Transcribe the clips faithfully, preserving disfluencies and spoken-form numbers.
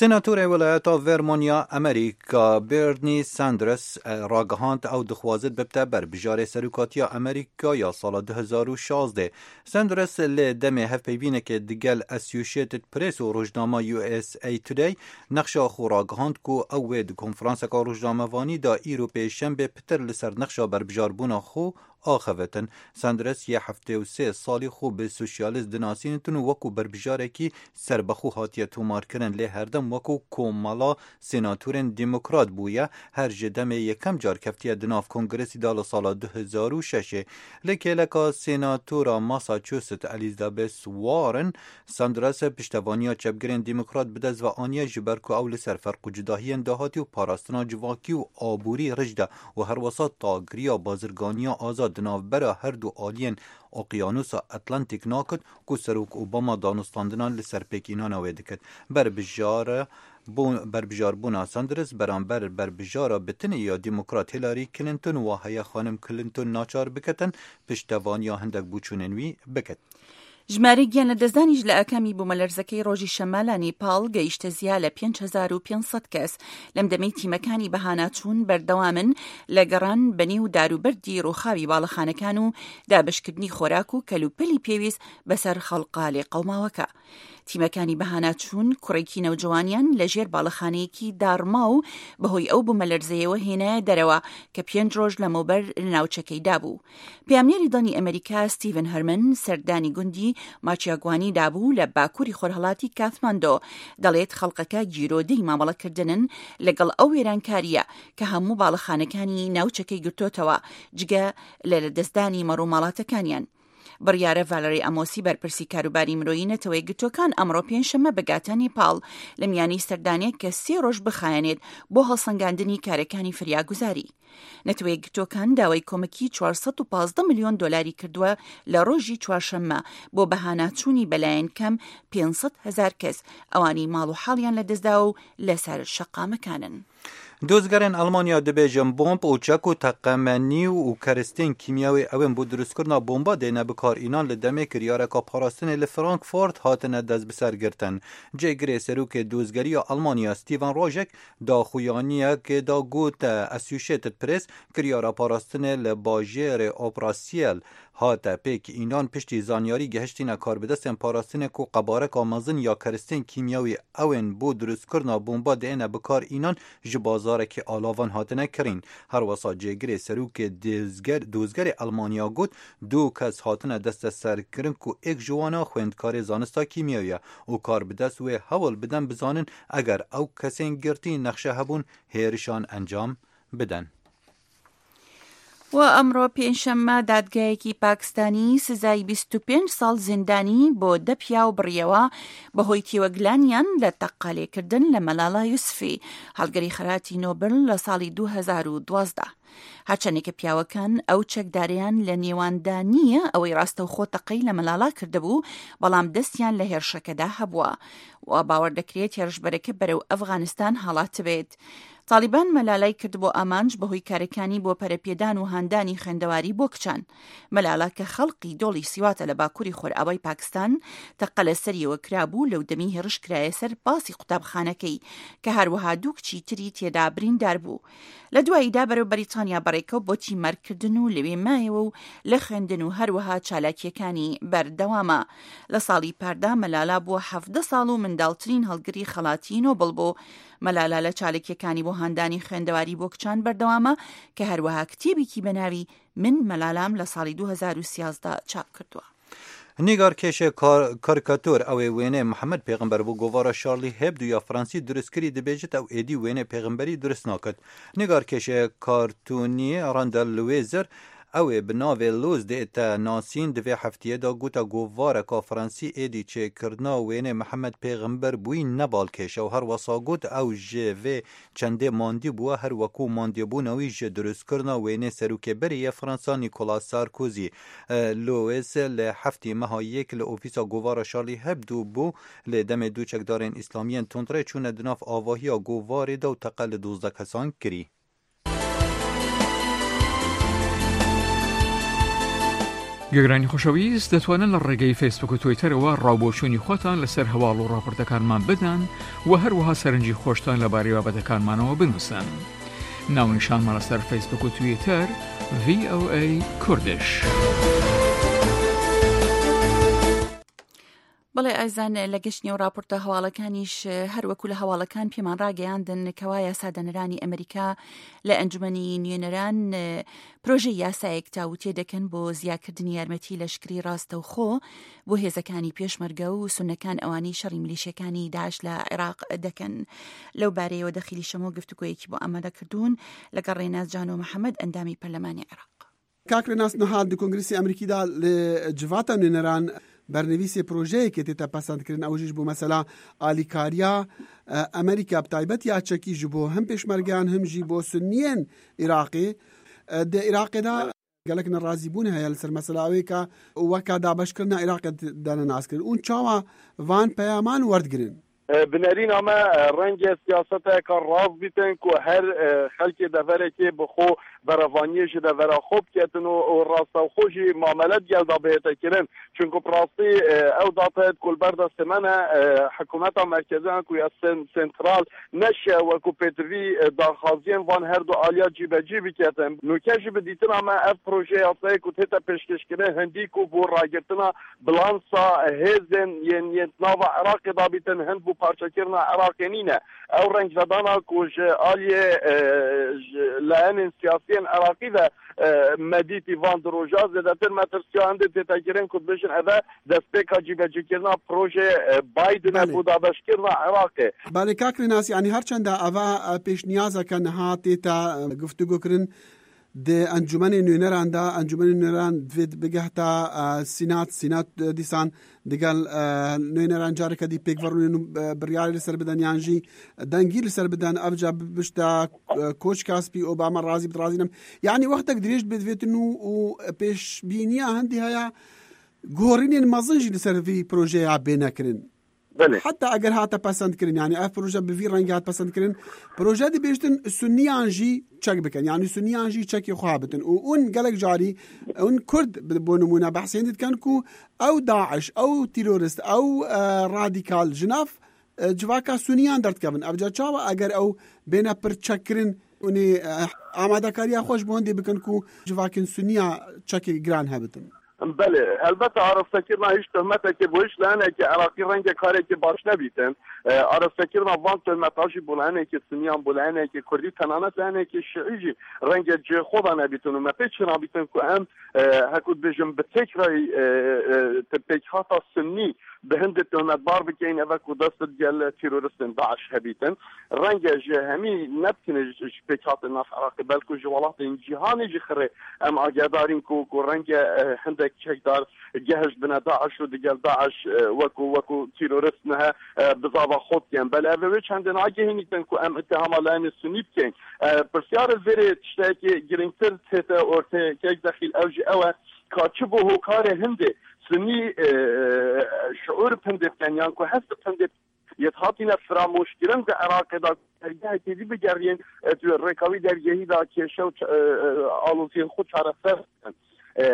Senatorê Welayeta Vermont ya Amerîka Bernie Sanders, e, ragihand ew dixwazit bibte berbijarê serokatiya Amerîka ya sala du hezar û şazdeh. Sanders li demê hevpeyvînekê digel Associated Press û rojnama U S A Today nexşa xwe ragihand ku ew wê di konferanseka rojnamevanî de îro pêşembe pitir li ser nexşa berbijarbûna xwe axevitin. Sanders yê heftê û sê salî xwe bi sosyalîst dinasînitin û wekû berbijarekî serbexwe hatiye tomarkirin, lê herdem wekû komela senatorên demokrat bûye, her ji demê yekem car keftiye di nav kongresî de li sala du hezar û şeşê. Li kêleka senatora Massachusetts Elizabeth Warren, Sanders piştevaniya çepgirên demokrat bi dest ve aniye, ji ber ku ew li ser ferq û cudahiyên dahatî û parastina civakî û aborî rij de û herwesa tagiriya bazirganiya azad di navbera her du aliyên Oqyanusa Atlantik nakit ku Serok Obama danûstandinan li ser pêkînana wê dikit. Berbijara bûn, berbijarbûna Sanders beramber berbijara bitinê ya demokrat Hillary Clinton wa heye xanim Clinton naçar biketin piştevaniya hindek bûçûnên wî bikit. ژمارەی گیان لە دەستدانیش لە ئاکامی بوومەلەرزەکەی ڕۆژی شەممە لە نیپاڵ گەیشتە زیا لە پێنج هەزار و پێنج سەد کەس. لەم دەمەی تیمەکانی بەهاناچوون بەردەوامن لە گەڕان بە نێو داروبەردی ڕووخاوی باڵەخانەکان و دابشکردنی خۆراک و کەلوپەلی پێویست بەسەر خەڵقە لێ قەوماوەکە. تیمەکانی بەهاناچوون کوڕێکی نەوجوانیان لە ژێر باڵەخانەیەکی داڕما و بەهۆی ئەو بوومەلەرزەیەوە هێنایە دەرەوە کە پێنج ڕۆژ لەمەوبەر لە ناوچەکەی دابوو. پەیامنێری دانی ئەمریکا ستیڤن هەرمن سەردانی گوندی ماچیاگوانی دابوو لە باکووری خۆرهەڵاتی کاتماندۆ، دەڵێت خەڵقەکە گیرۆدەی مامەڵەکردنن لەگەڵ ئەو وێرانکاریە کە هەموو باڵەخانەکانی ناوچەکەی گرتۆتەوە، جگە لە لەدەستدانی مەڕوماڵاتەکانیان. بڕیارە ڤالری ئەمۆسی بەرپرسی کاروباری مرۆیی نەتەوەی گرتوەکان ئەمڕۆ پێنجشەممە بگاتە نیپاڵ، لە میانی سەردانێک کە سێ ڕۆژ بخایەنێت بۆ هەڵسەنگاندنی کارەکانی فریاگوزاری. نەتەوەی گرتوەکان داوای کۆمەکی چوار سەد و پازدە ملیۆن دۆلاری کردووە لە ڕۆژی چوارشەممە بۆ بەهاناچوونی بەلایەن کەم پێنج سەد هەزار کەس، ئەوانی ماڵ و حاڵیان لەدەستداوە و لەسەر شەقامەکانن. دۆزگەرێن ئەڵمانیا دەبێژن بۆمب و چەک و تەقەمەنی و کەرستên kîmyawî ewên bo dirustkirina bomba dêne bikar înan li demê kiryareka parastinê li Frankfurt hatine destbisergirtin. Cêgirê serokê dozgeriya Almanya Steven Rojek daxuyaniyekê da got, Associated Press kiryara parastinê li bajêrê Oprasiyel hate pêk înan piştî zanyarî gihiştîne karbidestên parastinê ku qebareka mezin ya keristên kîmyawî ewên bo dirustkirina bomba diêne bikar înan ji bazarekî alavan hatine kirîn. Herwesa cêgirê serokê dozger-, dozgerê Elmanya got, du kes hatine desteserkirin ku êk ji wana xwendkarê zanista kîmyawî ye û karbidest wê hewl bidin bizanin eger ew kesên girtî nexşe hebûn hêrişan encam bidin. و ئەمڕۆ پێنجشەممە دادگایەکی پاکستانی سزای بیست و پێنج ساڵ زیندانی بۆ دە پیاو بڕیەوە بەهۆی تێوەگلانیان لە تەقەلێکردن لە مەلالا یوسفی، هەڵگری خەراتی نۆبل لە ساڵی دوو هەزار و دوازدە. هەرچەندێکە پیاوەکان ئەو چەکدارەیان لە نێواندا نییە ئەوەی ڕاستەوخۆ تەقەی لە مەلالا کردبوو، بەڵام دەستیان لە هێرشەکەدا هەبووە و باوەڕ دەکرێت هێرشبەرەکە بەرەو ئەفغانستان هەڵاتبێت. تالیبان مەلالای کرد بۆ ئامانج بەهۆی کارەکانی بۆ پەرەپێدان و هاندانی خوێندەواری بۆ کچان. مەلالا کە خەڵقی دۆڵی سیواتە لە باکووری خۆرئاوای پاکستان، تەقە لە سەریەوە کرابوو، لەو دەمی هێرش کرایە سەر پاسی قوتابخانەکەی کە هەروەها دوو کچی تری تێدا بریندار بوو. لە دواییدا بەرەو بەریتانیا بەڕێکەوت بۆ تیمەرکردن و لەوێ مایەوە و لە خوێندن و هەروەها چالاکیەکانی بەردەوامە. لە ساڵی پاردا مەلالا بووە حەڤدە ساڵ و منداڵترین هەڵگری خەڵاتی نۆبڵ بوو. مەلالا لە چالاکیەکانی بۆ هاندانی خوێندەواری بۆ کچان بەردەوامە کە هەروەها کتێبێکی بە ناوی من مەلالام لە ساڵی دوو هەزار و سیازدە چاپ کردووە. Nîgarkêşê kar-, karikatûr ew ê wênê Mihemed Pêxember bo govara Charlie Hebdo ya Fransî durustkirî dibêjit ew êdî wênê pêxemberî durust nakit. Nîgarkêşê kartûnî Randall Louiser ew ê bi navê Luz dête nasîn di vê heftiyê de gote govareka Fransî êdî çêkirina wênê Mihemed Pêxember bûyî ne balkêş e û her wesa got ew ji vê çendê mandî bûye, her wekû mandîbûna wî ji dirustkirina wênê serokê berê yê Fransa Nicolas Sarkozy. E, Lewis li heftê meha yek li ofîsa govara Charlie Hebdo bû, lê demê du çekdarên îslamiyên tundrê çûne di nav avahiya govarê de û teqe li duzdeh kesan kirî. گوێگرانی خۆشەویست، دەتوانن لە ڕێگەی فەیسبوک و تویتەرەوە ڕاوبۆچوونی خۆتان لەسەر هەواڵ و ڕاپۆرتەکانمان بدەن و هەروەها سەرنجی خۆشتان لەبارەی بابەتەکانمانەوە بنووسن. ناونیشانمان لەسەر فەیسبوک و تویتەر، ڤی ئۆ ئەی کوردش. بەڵێ ئازان، لە گەشت نێو ڕاپۆرتە هەواڵەکانیش، هەر وەکو لە هەواڵەکان پێمان ڕاگەیاندن، کەوا یاسادەنەرانی ئەمریکا لە ئەنجومەنی نوێنەران پرۆژەی یاسایەک تاوتێ دەکەن بۆ زیاکردنی یارمەتی لەشکری ڕاستەوخۆ بۆ هێزەکانی پێشمەرگە و سونەکان، ئەوانەی شەڕی میلیشیەکانی داعش لە عێراق دەکەن. لەو بارەیەوە دەخیلی شەمۆ گفتوگۆیەکی بۆ ئامادە کردوون لەگەڵ ڕێناس جانۆ محەممەد، ئەندامی پەرلەمانی عێراق. کاک ڕێناس، نها di Kongresa Amerîkî de li civata nûneran bernivîsê projeyekê tête pesendkirin, ew jî ji bo mesela alîkariya, e, Amerîka, bi taybet ya çekî ji bo him pêşmergeyan, him jî bo Sunniyên Iraqê. E, di Iraqê de gelek nerazîbûn heye li ser mesela wê ka weka dabeşkirina Iraqê dane naskirin. Û çawa van peyaman werdigirin? E, bi nerîna me, e, renge siyaseteke rast bîtin ku her, e, xelkê deverekê bi xwe berevaniyê ji devera xwe biketin û, û rastewxo jî mamele digel de bihête kirin. Çunku bi rastî, e, ew date ku li ber destê me ne, e, hikûmeta merkezî an ku ya sen-, sentral neşe wekû pêtivî, e, daxwaziyên van her du aliya cîbecî biketin. Nûke jî bi dîtina me ev proje yasayê ku tête pêşkêşkirin hindî ku bo ragirtina bilansa hêzên yên, yên nava Iraqê dabîtin, hind bo parçekirina Iraqê nîne. Ew rengvedana ku ji aliyê, e, ji layenên siyasiyên Iraqî ve, e, me dîtî van du roja zêdetir metirsiya hindê tête kirin ku dibêjin ev e destpêka cîbecîkirina projeyê, e, Biden e Belê. Bo dabeşkirina Iraqê. Belê, kak Rênas, yanî her çenda eva, e, pêşniyazeke niha tête, e, guftûgo kirin, di encûmenê nûneran de, encûmenê nûneran divê bigehta, e, Sînat, Sînat, e, dîsan digel, e, nûneran careke dî pêk ve rûnin û, e, biryarê li ser bidin yan jî dengî li ser bidin. Ev ca bibişte, e, koçka spî, Obama razî bit, razî nebit. Yanî wextek dirêj divê, divêtin û, û pêşbîniya hindî heye, guhorînên mezin jî li ser vî projeya bêne kirin. Belê. Heta eger hate pesend kirin, yani ev proje bi vî rengî hat pesend kirin, proje dibêjtin Sunniyan jî çek bikin, yani Sunniyan jî çekê xwe bitin. Û hûn gelek carî, hûn Kurd bi, bo nimûne behsên dikin ku ew DAIŞ, ew terorist, ew, e, radîkal ji nav, e, civaka Sunniyan derdikevin. Ev ca çawa eger ew bêne pir çek kirin, hûn ê, e, amadekariya xwe ji bo hindê bikin ku civakên Sunniya çekê giran hebitin? Belê, helbet arastekirina hiç tohmeteke bo hiç layenekî Iraqî renge karekî baş nebîtin. E, arastekirina van tohmeta jî bo layenekî Siniyan, bo layenekî Kurdî, tenanet layenekî Şiî jî renge cihê xwe de nebîtin û me pê çi nabîtin ku em, e, heku dibêjin bi têkrayî, e, e, te pêkhata Sunnî bi hindê tohmetbar bikeyin, eve ku dest digel teroristên DAIŞ hebîtin. Renge ji hemî nebitine ji, ji pêkhatên nav Iraqê, belku ji welatên cîhanê jî xirê em agedarîn ku, ku renge, e, hindek çekdar gehişt bine DAIŞ û digel DAIŞ, e, wekû, wekû terorist nihe, e, bizava xwe dikin. Belê ev ê wê çendê nagehînîtin ku em îttihama layenê Sunî bikeyn. E, pirsyarê vêrê tiştekî girîngtir tête ortê kek dexîl ew jî ew e ka çi bo hokarê hindê Sunî, e, şiûr pindê bikin yan ku hest pindê yet hatîne firamoşkirin di Iraqê de dergehekê dî bigeriyên, e, tu rêka wî dergehî de kêşe û ç-, e, e, aloziyên xwe çareser bikin. E,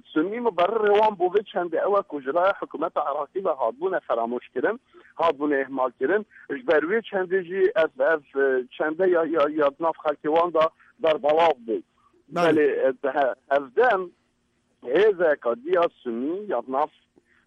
Sunnî muberrirê wan bo vê çendê ew e ku ji laya hikûmeta Iraqî ve hatbûne feramoşkirin, hatbûne ihmalkirin. Ji ber wê çendê jî ev, ev, e, çende ya, ya, ya di nav xelkê wan de berbelav bû. Belê. Belê, e, he-, hevdem hêzeka dî ya Sunnî ya di nav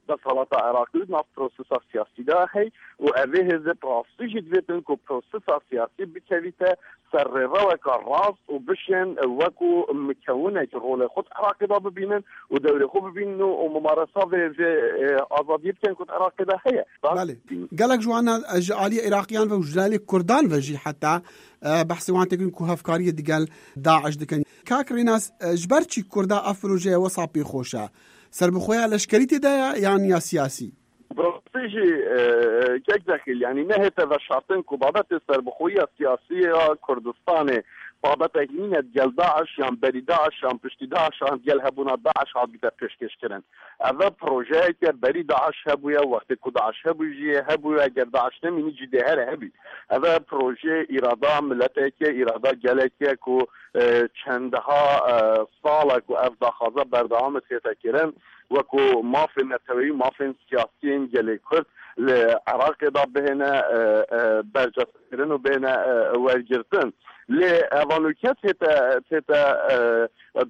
desthilata Iraqî û di nav prosesa siyasî de heye û ev ê hêzê bi rastî jî divêtin ku prosesa siyasî bikevîte ser rêreweka rast û bişên wekû mikewinek rolê xwe di Iraqê de bibînin û dewrê xwe bibînin û, û mumaresa vê, vê, e, azadiyê bikin ku di Iraqê de heye. Belê. Gelek ji wan, e, ji aliyê Iraqiyan ve û ji aliyê Kurdan ve jî heta, e, behsê wan têkin ku hevkariyê digel DAIŞ dikin. Kak Rênas, e, ji ber çi Kurda ev projeye wesa pê xweş e? Serbixweya leşkerî tê de ye yan ya siyasî? Bi rastî jî, e, kek Dexîl, yanî nehête veşartin ku babetê serbixweya siyasî ya Kurdistanê Babetek nîne digel DAIŞ yan berî DAIŞ yan piştî DAIŞ yan digel hebûna DAIŞ hatbîte pêşkêşkirin. Ev e projeyeke berî DAIŞ hebûye, wextê ku DAIŞ hebû jî hebûye, eger DAIŞ nemînî jî dê here hebî. Ev e projeyê îrada mileteke, îrada geleke ku, e, çendeha, e, sal e ku ev daxwaza berdewam e tête kirin, wekû mafên neteweyî, mafên siyasî yên gelê Kurd li Iraqê de bihêne, e, e, bercastkirin û bihêne, e, wergirtin. Lê evanûke tête, tête, e,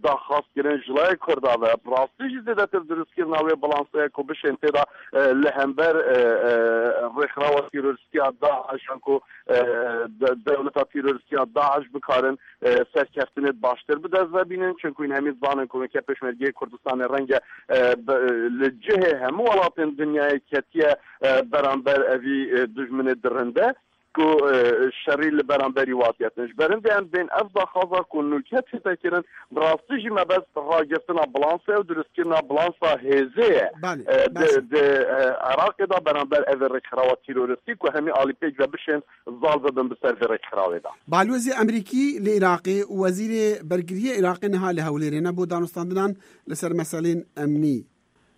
daxwaz kirin ji layê Kurda ve. Bi rastî jî zêdetir dirustkirina wê balansê ye ku bişên tê de, e, li hember, e, e, rêxirawa terorîstî ya DAIŞ an ku, e, de-, dewleta terorîstî ya DAIŞ bikarin, e, serkeftinê baştir bi dest ve bînin. Çunku hîn hemî zanin ku weke Pêşmergeyê Kurdistanê renge, e, be-, li cihê hemû welatên dinyayê ketiye, e, beramber evî, e, dijminê dirinde ku, e, şerî li beramberî watiyetin. Ji ber hindê em bên ev daxwaza ku nûke tête kirin, bi rastî jî mebest ragirtina balansê û dirustkirina balansa hêzê ye. Belê, E, di, belê. di, e, Iraqê de beramber evê rêkxirawa terorîstî ku hemî alî pêk ve bişên zal bibin bi ser vê rêkxirawê de. Balwezê Amerîkî li Iraqê û Wezîrê Bergiriyê Iraqê niha li Hewlêrê ne bo danûstandinan li ser meselên emnî.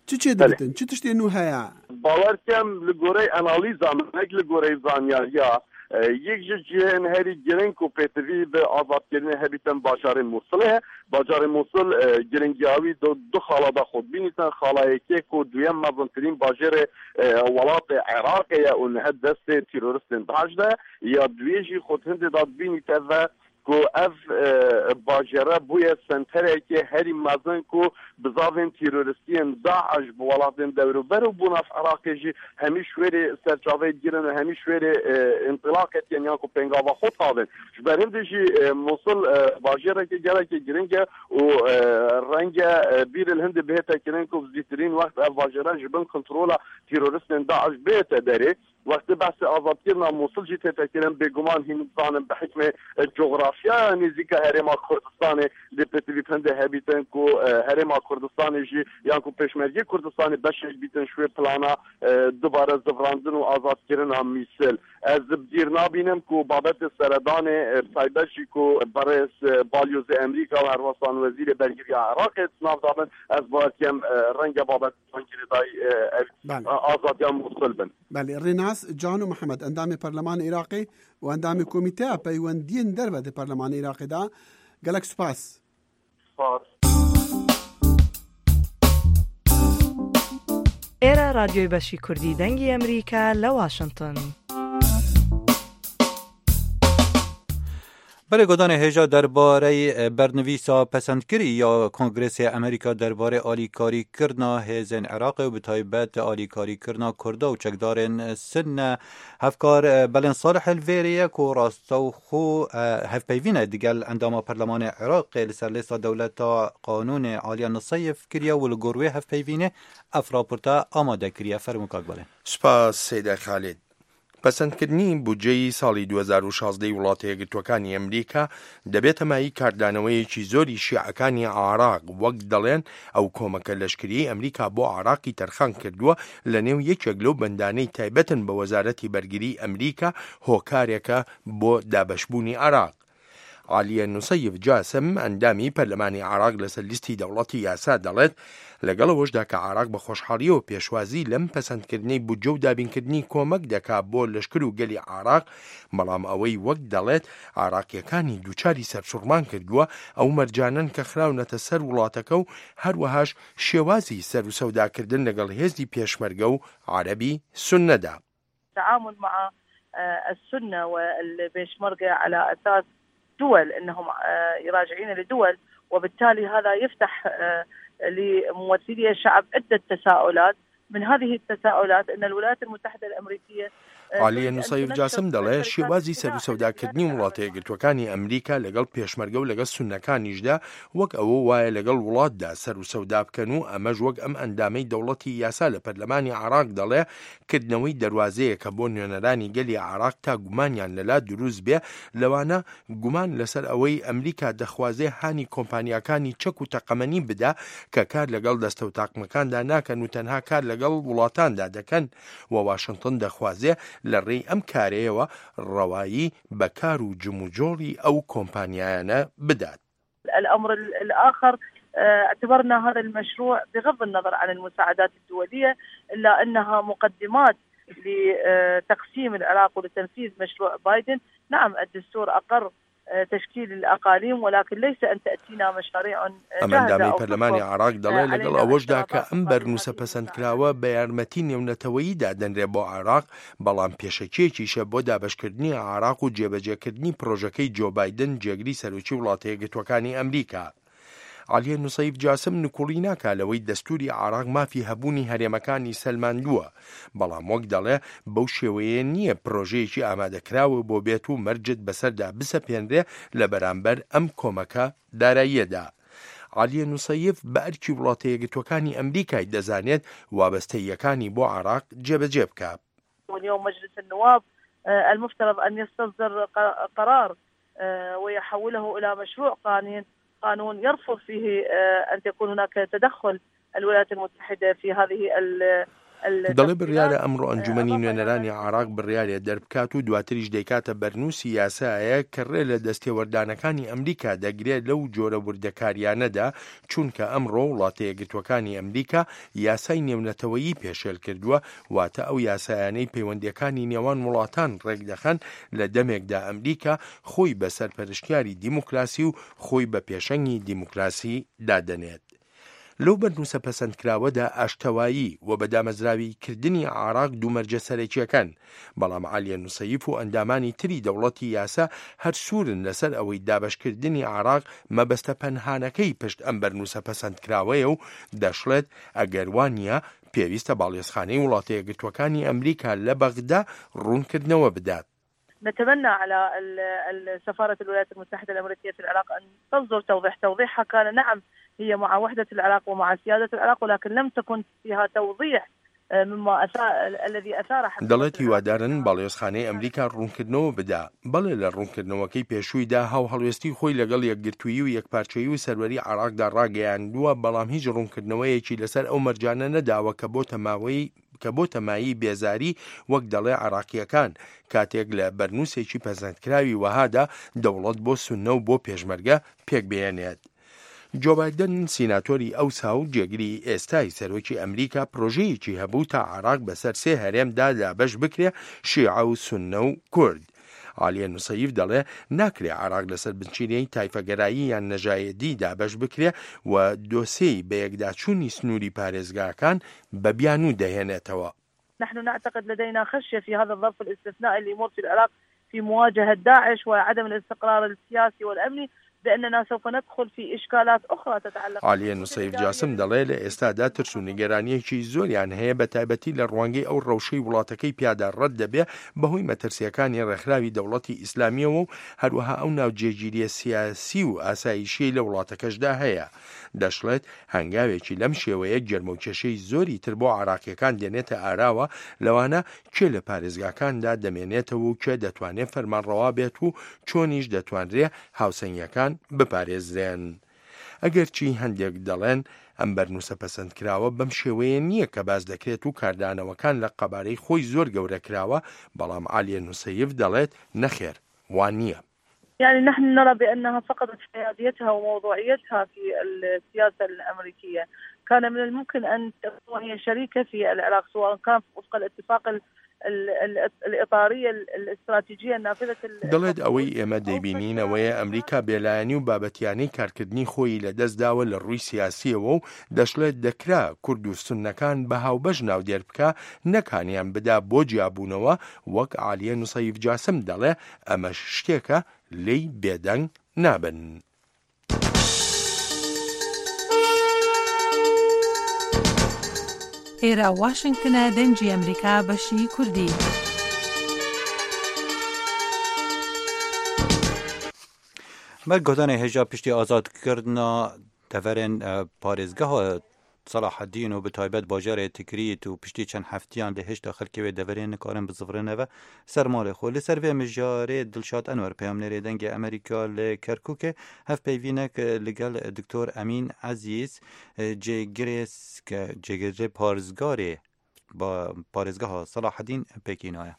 Çi çê Belê. dibitin? Çi tiştê nû heye? Bawer kem li goreyê analîza min, nek li goreyê zanyariya, e, yek ji cihên herî giring ku pêtivî bi azadkirinê hebîtin bajarê Mûsilê ye. Bajarê Mûsil, e, giringiya wî du, du xala da xwe dibînîtin. Xala yekê ku duyem mezintirîn bajêrê, e, welatê Iraqê ye û niha destê terorîstên DAIŞ de ye. Ya duyê jî xwe di hindê da dibînîte ve ku ev, e, bajêre bûye senterekê herî mezin ku bizavên terorîstiyên DAIŞ bi welatên dewrûber û bo nav Iraqê jî hemî şwêrê serçaveyê digirin û hemî şwêrê, e, întilaqê dikin yan ku pêngava xwe tavin. Ji ber hindê jî, e, Mûsil, e, bajêrekê gelekî giring e û, e, renge, e, bîr li hindê bihête kirin ku bi zîtirîn wext ev bajêre ji bin kontrola terorîstên DAIŞ bihête derê. Wextê behsê azadkirina Mûsil jî tête kirin, bêguman hîn dizanin bi hikmê, e, cografyaya nêzîka Herêma Kurdistanê lê pêtivî hindê hebîtin ku, e, Herêma Kurdistanê jî yan ku Pêşmergê Kurdistanê beşek bîtin ji wê plana, e, dubare zivrandin û azadkirina Mûsil. Ez bi dîr nabînim ku babetê seredanê, e, taybet jî ku berêz, e, balyozê Amerîka û herwesan wezîrê bergiriya Iraqê di nav de bin, ez bawer dikim, e, renge babet van girêdayî, e, ev, Belê. e, azadiya Mûsil bin. Belê, Rênas Cano Mihemed, endamê Perlemanê Iraqê û endamê Komîteya Peywendiyên Derve di Perlemanê Iraqê de. Gelek spas. Spas. Êre Radyoyê Beşî Kurdî Dengê Amerîka li Washington. Belê godanê hêja derbarey, e, bernivîsa pesendkirî ya Kongresê Amerîka derbarê alîkarîkirina hêzên Iraqê û bi taybet alîkarîkirina Kurda û çekdarên Sunne. Hevkar, e, Belên Salih li vêrê ye ku rastewxo, e, hevpeyvîne digel endama Perlemanê Iraqê li ser lêsta dewleta qanûnê Aliye Nusayf kiriye û li gor wê hevpeyvînê ev raporta amade kiriye. Fermû kak Belên. Spas Seyda Xalid. پەسەندکردنی بودجەی ساڵی دوو هەزار و شازدە ی وڵاتە یەکگرتووەکانی ئەمریکا دەبێتە مایەی کاردانەوەیەکی زۆری شیعەکانی عێراق، وەک دەڵێن ئەو کۆمەکە لەشکریەی ئەمریکا بۆ عێراقی تەرخان کردووە لە نێو یەکێک لەو بەندانەی تایبەتن بە وەزارەتی بەرگری ئەمریکا، هۆکارێکە بۆ دابەشبوونی عێراق. عالیە نوسەیف جاسم، ئەندامی پەرلەمانی عێراق لەسەر لیستی دەوڵەتی یاسا، دەڵێت لەگەڵ ئەوەشدا کە عێراق بە خۆشحاڵیەوە پێشوازی لەم پەسەندکردنەی بودجە و دابینکردنی کۆمەک دەکا بۆ لەشکر و گەلی عێراق، بەڵام ئەوەی وەک دەڵێت عێراقیەکانی دووچاری سەرسوڕمان کردووە، ئەو مەرجانەن کە خراونەتە سەر وڵاتەکە و هەروەهاش شێوازی سەر و سەوداکردن لەگەڵ هێزی پێشمەرگە و عەرەبی سوننەدا. التعامل مع، آه، السنة والبيشمركة على أساس دول، إنهم، آه، يراجعين لدول، وبالتالي هذا يفتح، آه، لممثلي الشعب عدة تساؤلات. من هذه التساؤلات أن الولايات المتحدة الأمريكية، آه، عالیە تريد أن نوسەیف تنشط جاسم دەڵێ، شێوازی سەر و سەوداکردنی وڵاتە یەکگرتوەکانی ئەمریکا لەگەڵ پێشمەرگە و لەگەڵ سوننەکانیشدا وەک ئەوە وایە لەگەڵ وڵاتدا سەر و سەودا بکەن و ئەمەش وەک ئەم ئەندامەی دەوڵەتی یاسا لە پەرلەمانی عێراق دەڵێ، کردنەوەی دەروازەیەکە بۆ نوێنەرانی گەلی عێراق تا گومانیان لەلا دروست بێ، لەوانە گومان لەسەر ئەوەی ئەمریکا دەخوازێ هانی کۆمپانیاکانی چەک و تەقەمەنی بدا کە کار لەگەڵ دەستە و تاقمەکاندا ناکەن و تەنها کار لەگەڵ وڵاتاندا دەکەن و واشنتن دەخوازێ لە ڕێی ئەم کارەیەوە ڕەوایی بە کار و جموجۆڵی ئەو کۆمپانیایانە بدات. الأمر ال- الآخر، آه، اعتبرنا هذا المشروع بغض النظر عن المساعدات الدولية، إلا أنها مقدمات لتقسيم العراق ولتنفيذ مشروع بايدن. نعم، الدستور أقر، آه، تشكيل الأقاليم، ولكن ليس أن تأتينا مشاريع، آه، ئەم جاهزة ئەندامەی أو پەرلەمانی تفرض، عراق دەڵێ، آه، لەگەڵ علينا ئەوەشدا کە اعترافات ئەم بهذه بەرنووسە الاتفاقات. پەسەندکراوە بە یارمەتی نێونەتەوەییدا دەنرێ بۆ عراق، بەڵام پێشەکیەکیشە بۆ دابەشکردنی عراق و جێبەجێکردنی پرۆژەکەی جۆ بایدن، جێگری سەرۆکی وڵاتە یەکگرتوەکانی ئەمریکا. عالیە نوسەیف جاسم نکوڵی ناکا لەوەی دەستوری عراق مافی هەبوونی هەرێمەکانی سەلماندووە، بەڵام وەک دەڵێ، بەو شێوەیە نییە پرۆژەیەکی ئامادەکراوە بۆ بێت و مەرجت بەسەردا بسەپێنرێ لە بەرامبەر ئەم کۆمەکە داراییەدا. عالیە نوسەیف بە ئەرکی وڵاتە یەکگرتوەکانی ئەمریکای دەزانێت وابەستەییەکانی بۆ عراق جێبەجێ بکات. واليوم مجلس النواب، آه، المفترض أن يستصدر ق- قرار، آه، ويحوله إلى مشروع قانون، قانون يرفض فيه، آه، أن تكون هناك تدخل الولايات المتحدة في هذه ال- ال- دەڵێ بڕیارە ئەمڕۆ ئەنجومەنی نوێنەرانی عراق بڕیارێ دەربکات و دواتریش دەیکاتە بەرنووسی یاسایە کە ڕێ لە دەستێوەردانەکانی ئەمریکا دەگرێت لەو جۆرە وردەکاریانەدا، چونکە ئەمڕۆ وڵاتە یەکگرتوەکانی ئەمریکا یاسای نێونەتەوەیی پێشێل کردووە، واتە ئەو یاسایانەی پەیوەندیەکانی نێوان وڵاتان ڕێکدەخەن، لە دەمێکدا ئەمریکا خۆی بە سەرپەرشتیاری دیموکراسی و خۆی بە پێشەنگی دیموکراسی دادەنێت. لەو بەرنووسە پەسەندکراوەدا ئاشتەوایی و بە دامەزراوی کردنی عراق دوو مەرجە سەرەکیەکان، بەڵام عالیە نوسەیف و ئەندامانی تری دەوڵەتی یاسا هەر سوورن لەسەر ئەوەی دابەشکردنی عراق مەبەستە پەنهانەکەی پشت ئەم بەرنووسە پەسەندکراوەیە و دەشڵێت، ئەگەر وان نیە، پێویستە باڵیۆزخانەی وڵاتە یەکگرتوەکانی ئەمریکا لە بەغدا ڕوونکردنەوە بدات. نتمنى على ال- ال- سفارة الولايات المتحدة الأمريكية في العراق أن تصدر توضيح. توضيحها كان، نعم، هي مع وحدة العراق ومع سيادة العراق، ولكن لم تكن فيها توضيح، آه، مما أثار، الذي أثار حملة دەڵێت العراق. هیوادارن باڵیۆزخانەی ئەمریکا ڕوونکردنەوە بدا. بەڵێ، لە ڕوونکردنەوەکەی پێشوویدا هاوهەڵوێستی خۆی لەگەڵ یەکگرتوویی و یەکپارچەیی و سەروەری عراقدا ڕاگەیاندووە، بەڵام هیچ ڕوونکردنەوەیەکی لەسەر ئەو مەرجانە نەداوە کە بۆ تەماوەی کە بۆ تەمایی بێزاری، وەک دەڵێ، عراقیەکان، کاتێک لە بەرنووسێکی پەسەندکراوی وەهادا دەوڵەت بۆ سوننە و بۆ پێشمەرگە پێک بێنێت. جۆ بایدن، سیناتۆری ئەوسا و جێگری ئێستای سەرۆکی ئەمریکا، پرۆژەیەکی هەبوو تا عراق بەسەر سێ هەرێمدا دابەش بکرێ، شیعە و سوننە و کورد. عالیە نوسەیف دەڵێ، ناکرێ عراق لەسەر بنچینەی تایفەگەرایی یان نەژایەدی دابەش بکرێ و دۆسێی بە یەکداچوونی سنووری پارێزگاکان بە بیانوو دەهێنێتەوە. نحن نعتقد لدينا خشية في هذا الظرف الاستثنائي اللي يمر في العراق في مواجهة داعش وعدم الاستقرار السياسي والأمني، بأننا سوف ندخل في إشكالات أخرى تتعلق عالیە نوسەیف جاسم دەڵێ، لە ئێستادا ترس و نیگەرانیەکی زۆریان هەیە، بە تایبەتی لە ڕوانگەی ئەو ڕەوشەی وڵاتەکەی پیادا ڕەت دەبێ بەهۆی مەترسیەکانی ڕێکخراوی دەوڵەتی ئیسلامیەوە و هەروەها ئەو ناوجێگیریە سیاسی و ئاسایشی لە وڵاتەکەشدا هەیە. دەشڵێت، هەنگاوێکی لەم شێوەیە گەرمەوکێشەی زۆری تر بۆ عراقیەکان دێنێتە ئاراوە، لەوانە کێ لە پارێزگاکاندا دەمێنێتەوە و کێ دەتوانێت فەرمانڕەوا بێت و چۆنیش دەتوانرێ هاوسەنگیەکان بپارێزرێن. ئەگەرچی هەندێک دەڵێن ئەم بەرنووسە پەسەندکراوە بەم شێوەیە نییە کە باس دەکرێت و کاردانەوەکان لە قەبارەی خۆی زۆر گەورە کراوە، بەڵام عالیە نوسەیف دەڵێت، نەخێر، وان نییە. يعني نحن نرى بأنها فقدت حياديتها وموضوعيتها في السياسة الأمريكية. كان من الممكن أن تكون هي شريكة في العراق، سواء كان وفق الاتفاق ال- ال- ال- الإطارية الاستراتيجية النافذة ال- دەڵێت، ئەوەی ئێمە دەیبینینەوەیە ئەمریکا بێلایەنی و بابەتیانەی کارکردنی خۆی لەدەستداوە لە ڕووی سیاسیەوە و دەشڵێت، دەکرا کورد و سوننەکان بە هاوبەش ناودێر بکا، نەکانیان بدا بۆ جیابوونەوە، وەک عالیە نوسەیف جاسم دەڵێ، ئەمەش شتێکە لێی بێدەنگ نابن. ئێرە واشنگتنە، دەنگی ئەمریکا، بەشی کوردی. Me guhdanê hêja piştî azadkirina deverên, e, parêzgeha Selahedîn û bi taybet bajarê Tikrît û piştî çend heftiyan lê hêşta xelkê wê deverê nikarin bizivirine ve ser malê xwe. Li ser vê mijarê Dilşad Enwer, peyamnêrê Dengê Amerîka li Kerkûkê, hevpeyvînek li gel Doktor Emîn Ezîz, cêgirê ske-, cêgirê parizgarê ba-, parêzgeha Selahedîn pêkînaye.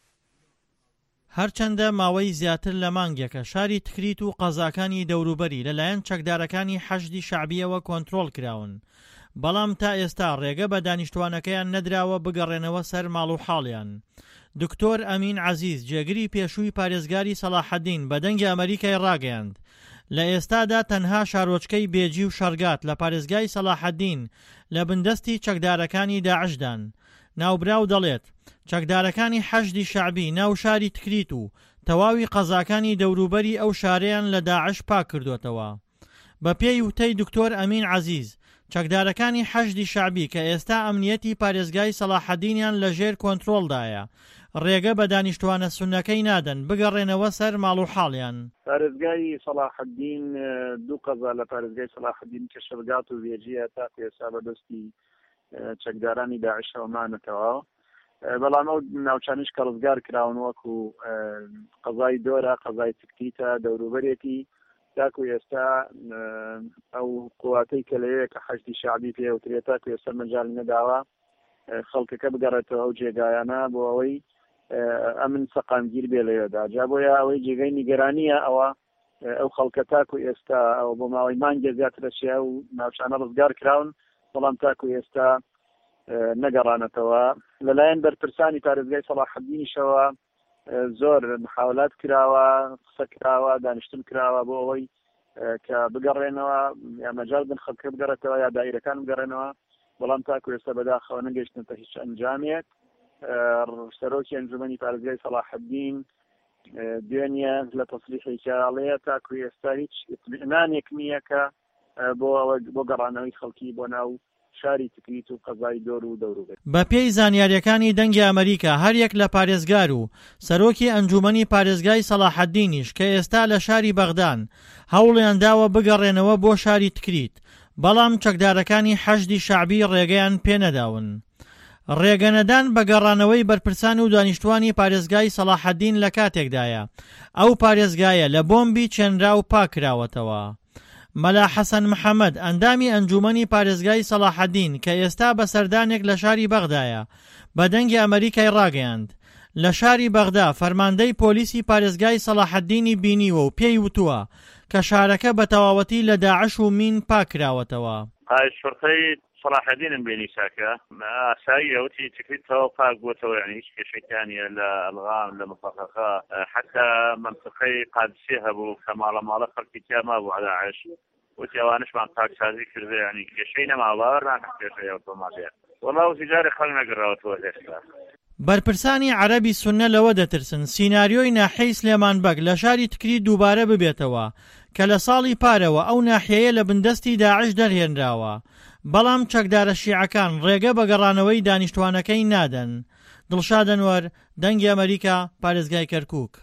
هەرچەندە ماوەی زیاتر لە مانگێکە شاری تکریت و قەزاکانی دەوروبەری لەلایەن چەکدارەکانی حەشدی شەعبیەوە کۆنترۆڵ کراون، بەڵام تا ئێستا ڕێگە بە دانیشتوانەکەیان نەدراوە بگەڕێنەوە سەر ماڵ و حاڵیان. دکتۆر ئەمین عەزیز، جێگری پێشووی پارێزگاری سەلاحەدین، بە دەنگی ئەمریکای ڕاگەیاند، لە ئێستادا تەنها شارۆچکەی بێجی و شەرگات لە پارێزگای سەلاحەدین لە بندەستی چەکدارەکانی داعشدان. ناوبراو دەڵێت، چەکدارەکانی حەشدی شەعبی ناو شاری تکریت و تەواوی قەزاکانی دەوروبەری ئەو شارەیان لە داعش پاک کردوتەوە. بە پێی وتەی دکتۆر ئەمین عەزیز، چەکدارەکانی حەشدی شەعبی کە ئێستا ئەمنیەتی پارێزگای سەلاحەدینیان لە ژێر کۆنترۆلدایە، ڕێگە بە دانیشتوانە سونەکەی نادەن بگەڕێنەوە سەر ماڵ و حاڵیان. پارێزگای سەلاحەدین، ئە، دوو قەزا لە پارێزگای سەلاحەدین کە شەرگات و وێجیە تاکو ئێستا بەدەستی، ئە، چەکدارانی داعشەوە مانەتەوە. ئە، بەڵام ئەو ناوچانیش کە ڕزگار کراون وەکو، ئە، قەزای دۆرە، قەزای تکتیتە، دەوروبەرێتی، تاکو ئێستا، ئە، ئەو قواتەی کە لەوەیە کە حەشدی شەعبی پێوترێت تاکو ئێستا مەجالی نەداوە، ئە، خەڵکەکە بگەڕێتەوە ئەو جێگایانە بۆ ئەوەی، ئە، ئەمن سەقامگیر بێ لەوێدا. جا بۆیە ئەوەی جێگای نیگەرانیە ئەوە، ئە، ئەو خەڵکە تاکو ئێستا ئەو بۆ ماوەی مانگێ زیاترە چیا و ناوچانە ڕزگار کراون، بەڵام تاکو ئێستا، ئە، نەگەڕانەتەوە. لەلایەن بەرپرسانی پارێزگای سەلاحەدینیشەوە، ئە، زۆر محاولات کراوە، قسە کراوە، دانیشتن کراوە بۆ ئەوەی، ئە، کە بگەڕێنەوە، یا مەجال بن خەڵکە بگەڕێتەوە، یا دایرەکان بگەڕێنەوە، بەڵام تاکو ئێستا بەداخەوە نەگەیشتنەتە هیچ ئەنجامێک. ئە، سەرۆکی ئەنجومەنی پارێزگای سەلاحەدین، ئە، دوێنیە لە تەسریحێکیاڵەیە تاکو ئێستا هیچ ئیتمئنانێک نییە کە، ئە، بۆ ئەوە، بۆ گەڕانەوەی خەڵکی بۆ ناو شاری تکریت و قەزای دۆر و دەوروبەر. بە پێی زانیاریەکانی دەنگی ئەمریکا، هەر یەک لە پارێزگار و سەرۆکی ئەنجومەنی پارێزگای سەلاحەدینیش کە ئێستا لە شاری بەغدان، هەوڵیان داوە بگەڕێنەوە بۆ شاری تکریت، بەڵام چەکدارەکانی حەشدی شەعبی ڕێگەیان پێنەداون. ڕێگەنەدان بە گەڕانەوەی بەرپرسان و دانیشتوانی پارێزگای سەلاحەدین لە کاتێکدایە ئەو پارێزگایە لە بۆمبی چێنراو پاکراوەتەوە. مەلا حەسەن محەممەد، ئەندامی ئەنجومەنی پارێزگای سەلاحەدین کە ئێستا بە سەردانێک لە شاری بەغدایە، بە دەنگی ئەمریکای ڕاگەیاند، لە شاری بەغدا فەرماندەی پۆلیسی پارێزگای سەلاحەدینی بینیوە و پێی وتووە کە شارەکە بە تەواوەتی لە داعش و مین پاکراوەتەوە. ئای شوڕتەی سەلاحەدینم بینی چاکە. ئاساییە، وتی تکریتەوە پاک بووەتەوە، یعنی هیچ کێشەیان نیە لە ئەلغام، لە مفەخەخە، حتا منتقەی قادسیە هەبوو کە ماڵە ماڵە خەڵکی تیا مابوو عەداعش. وتی ئەوانشمان پاکسازی کردە، یعنی کێشەی نەما، باوەڕ ناکەم کێشەی ئەو تۆماتەیە. وەڵا وتی جارێ خەڵک نەگەڕاوەتەوە هێشتا. بەرپرسانی عەرەبی سوننە لەوە دەترسن سیناریۆی ناحیەی سلێمان بەگ لە شاری تکری دووبارە ببێتەوە کە لە ساڵی پارەوە ئەو ناحیەیە لە بندەستی داعش دەرهێنراوە، بەڵام چەکدارە شیعەکان ڕێگە بە گەڕانەوەی دانیشتوانەکەی نادەن. دڵشاد ئەنوەر، دەنگی ئەمریکا، پارێزگای کەرکووک.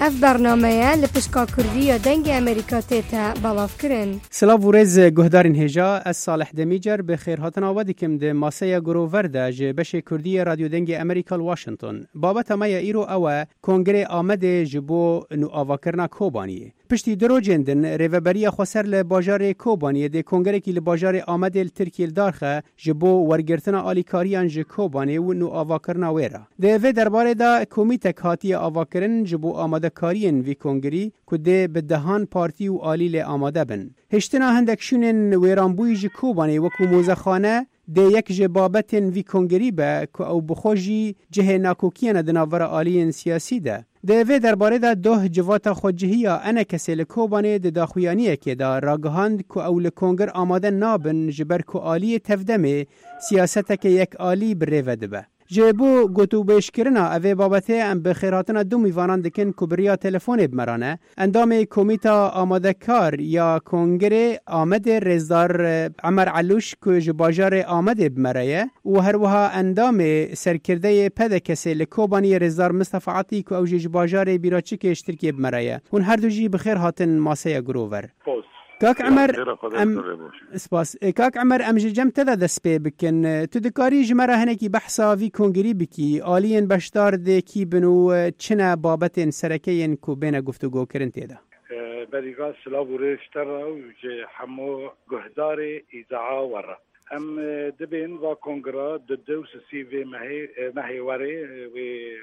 Ev bernameye li pişka Kurdî ya Dengê Amerîka tête belavkirin. Silav û rêz guhdarên hêja, ez Salih Demîcer bi xêrhatina we dikim di maseya Grover de ji beşê Kurdî yê Radyo Dengê Amerîka li Washington. Babeta me ya îro ew e, Kongrê Amedê ji bo nûavakirina Kobaniyê. Piştî du rojên din, Rêveberiya Xweser li bajarê Kobaniyê dê kongerekî li bajarê Amedê li Tirkiyê li dar xe, ji bo wergirtina alîkariyan ji Kobanê û nûavakirina wê re. Di vê derbarê de komîtek hatiye avakirin ji bo amadekariyên vî kongerî ku dê bi dehan partî û alî lê amade bin. Hiştina hindek şûnên wêranbûyî ji Kobanê wekû mozexane dê yek ji babetên vî kongerî be ku ew bi xwe jî cihê nakokiyane di navbera aliyên siyasî de. Di vê derbarê de doh civata xwecihî ya ENKSê li Kobanê di daxuyaniyekê de ragihand ku ew li konger amade nabin ji ber ku aliyê tevdemê siyaseteke yekalî bi rê ve dibe. Ji bo gotûbêjkirina evê babetê em bi xêrhatina du mîvanan dikin ku bi riya telefonê bi me re ne. Endamê Komîta Amadekar ya Kongerê Amedê Rêzdar, e, Emer Elûş ku ji bajarê Amedê bi me re ye û her wiha endamê serkirdeyê PDKSê li Kobaniyê Rêzdar Mistefa Atî ku ew jî ji bajarê Bîraçikê ji Tirkiyê bi me re ye. Hûn her du jî bi xêr hatin maseya Grover. Post. Kak Ya, Emer, xêra Xwedê em, bi xêr re baş. Spas. E, Kak Emer, em ji cem te de dest pê bikin. E, tu dikarî ji me re hinekî behsa vî kongerî bikî? Aliyên beşdar dê kî bin û, e, çi ne babetên sereke yên ku bêne guftûgokirin tê de? E, berî van silav û rêz ji te re û ji hemû guhdarê îzaa we re. Em e, dibên va kongra di du û sisî vê mehê, e, mehê werê, e, wê e,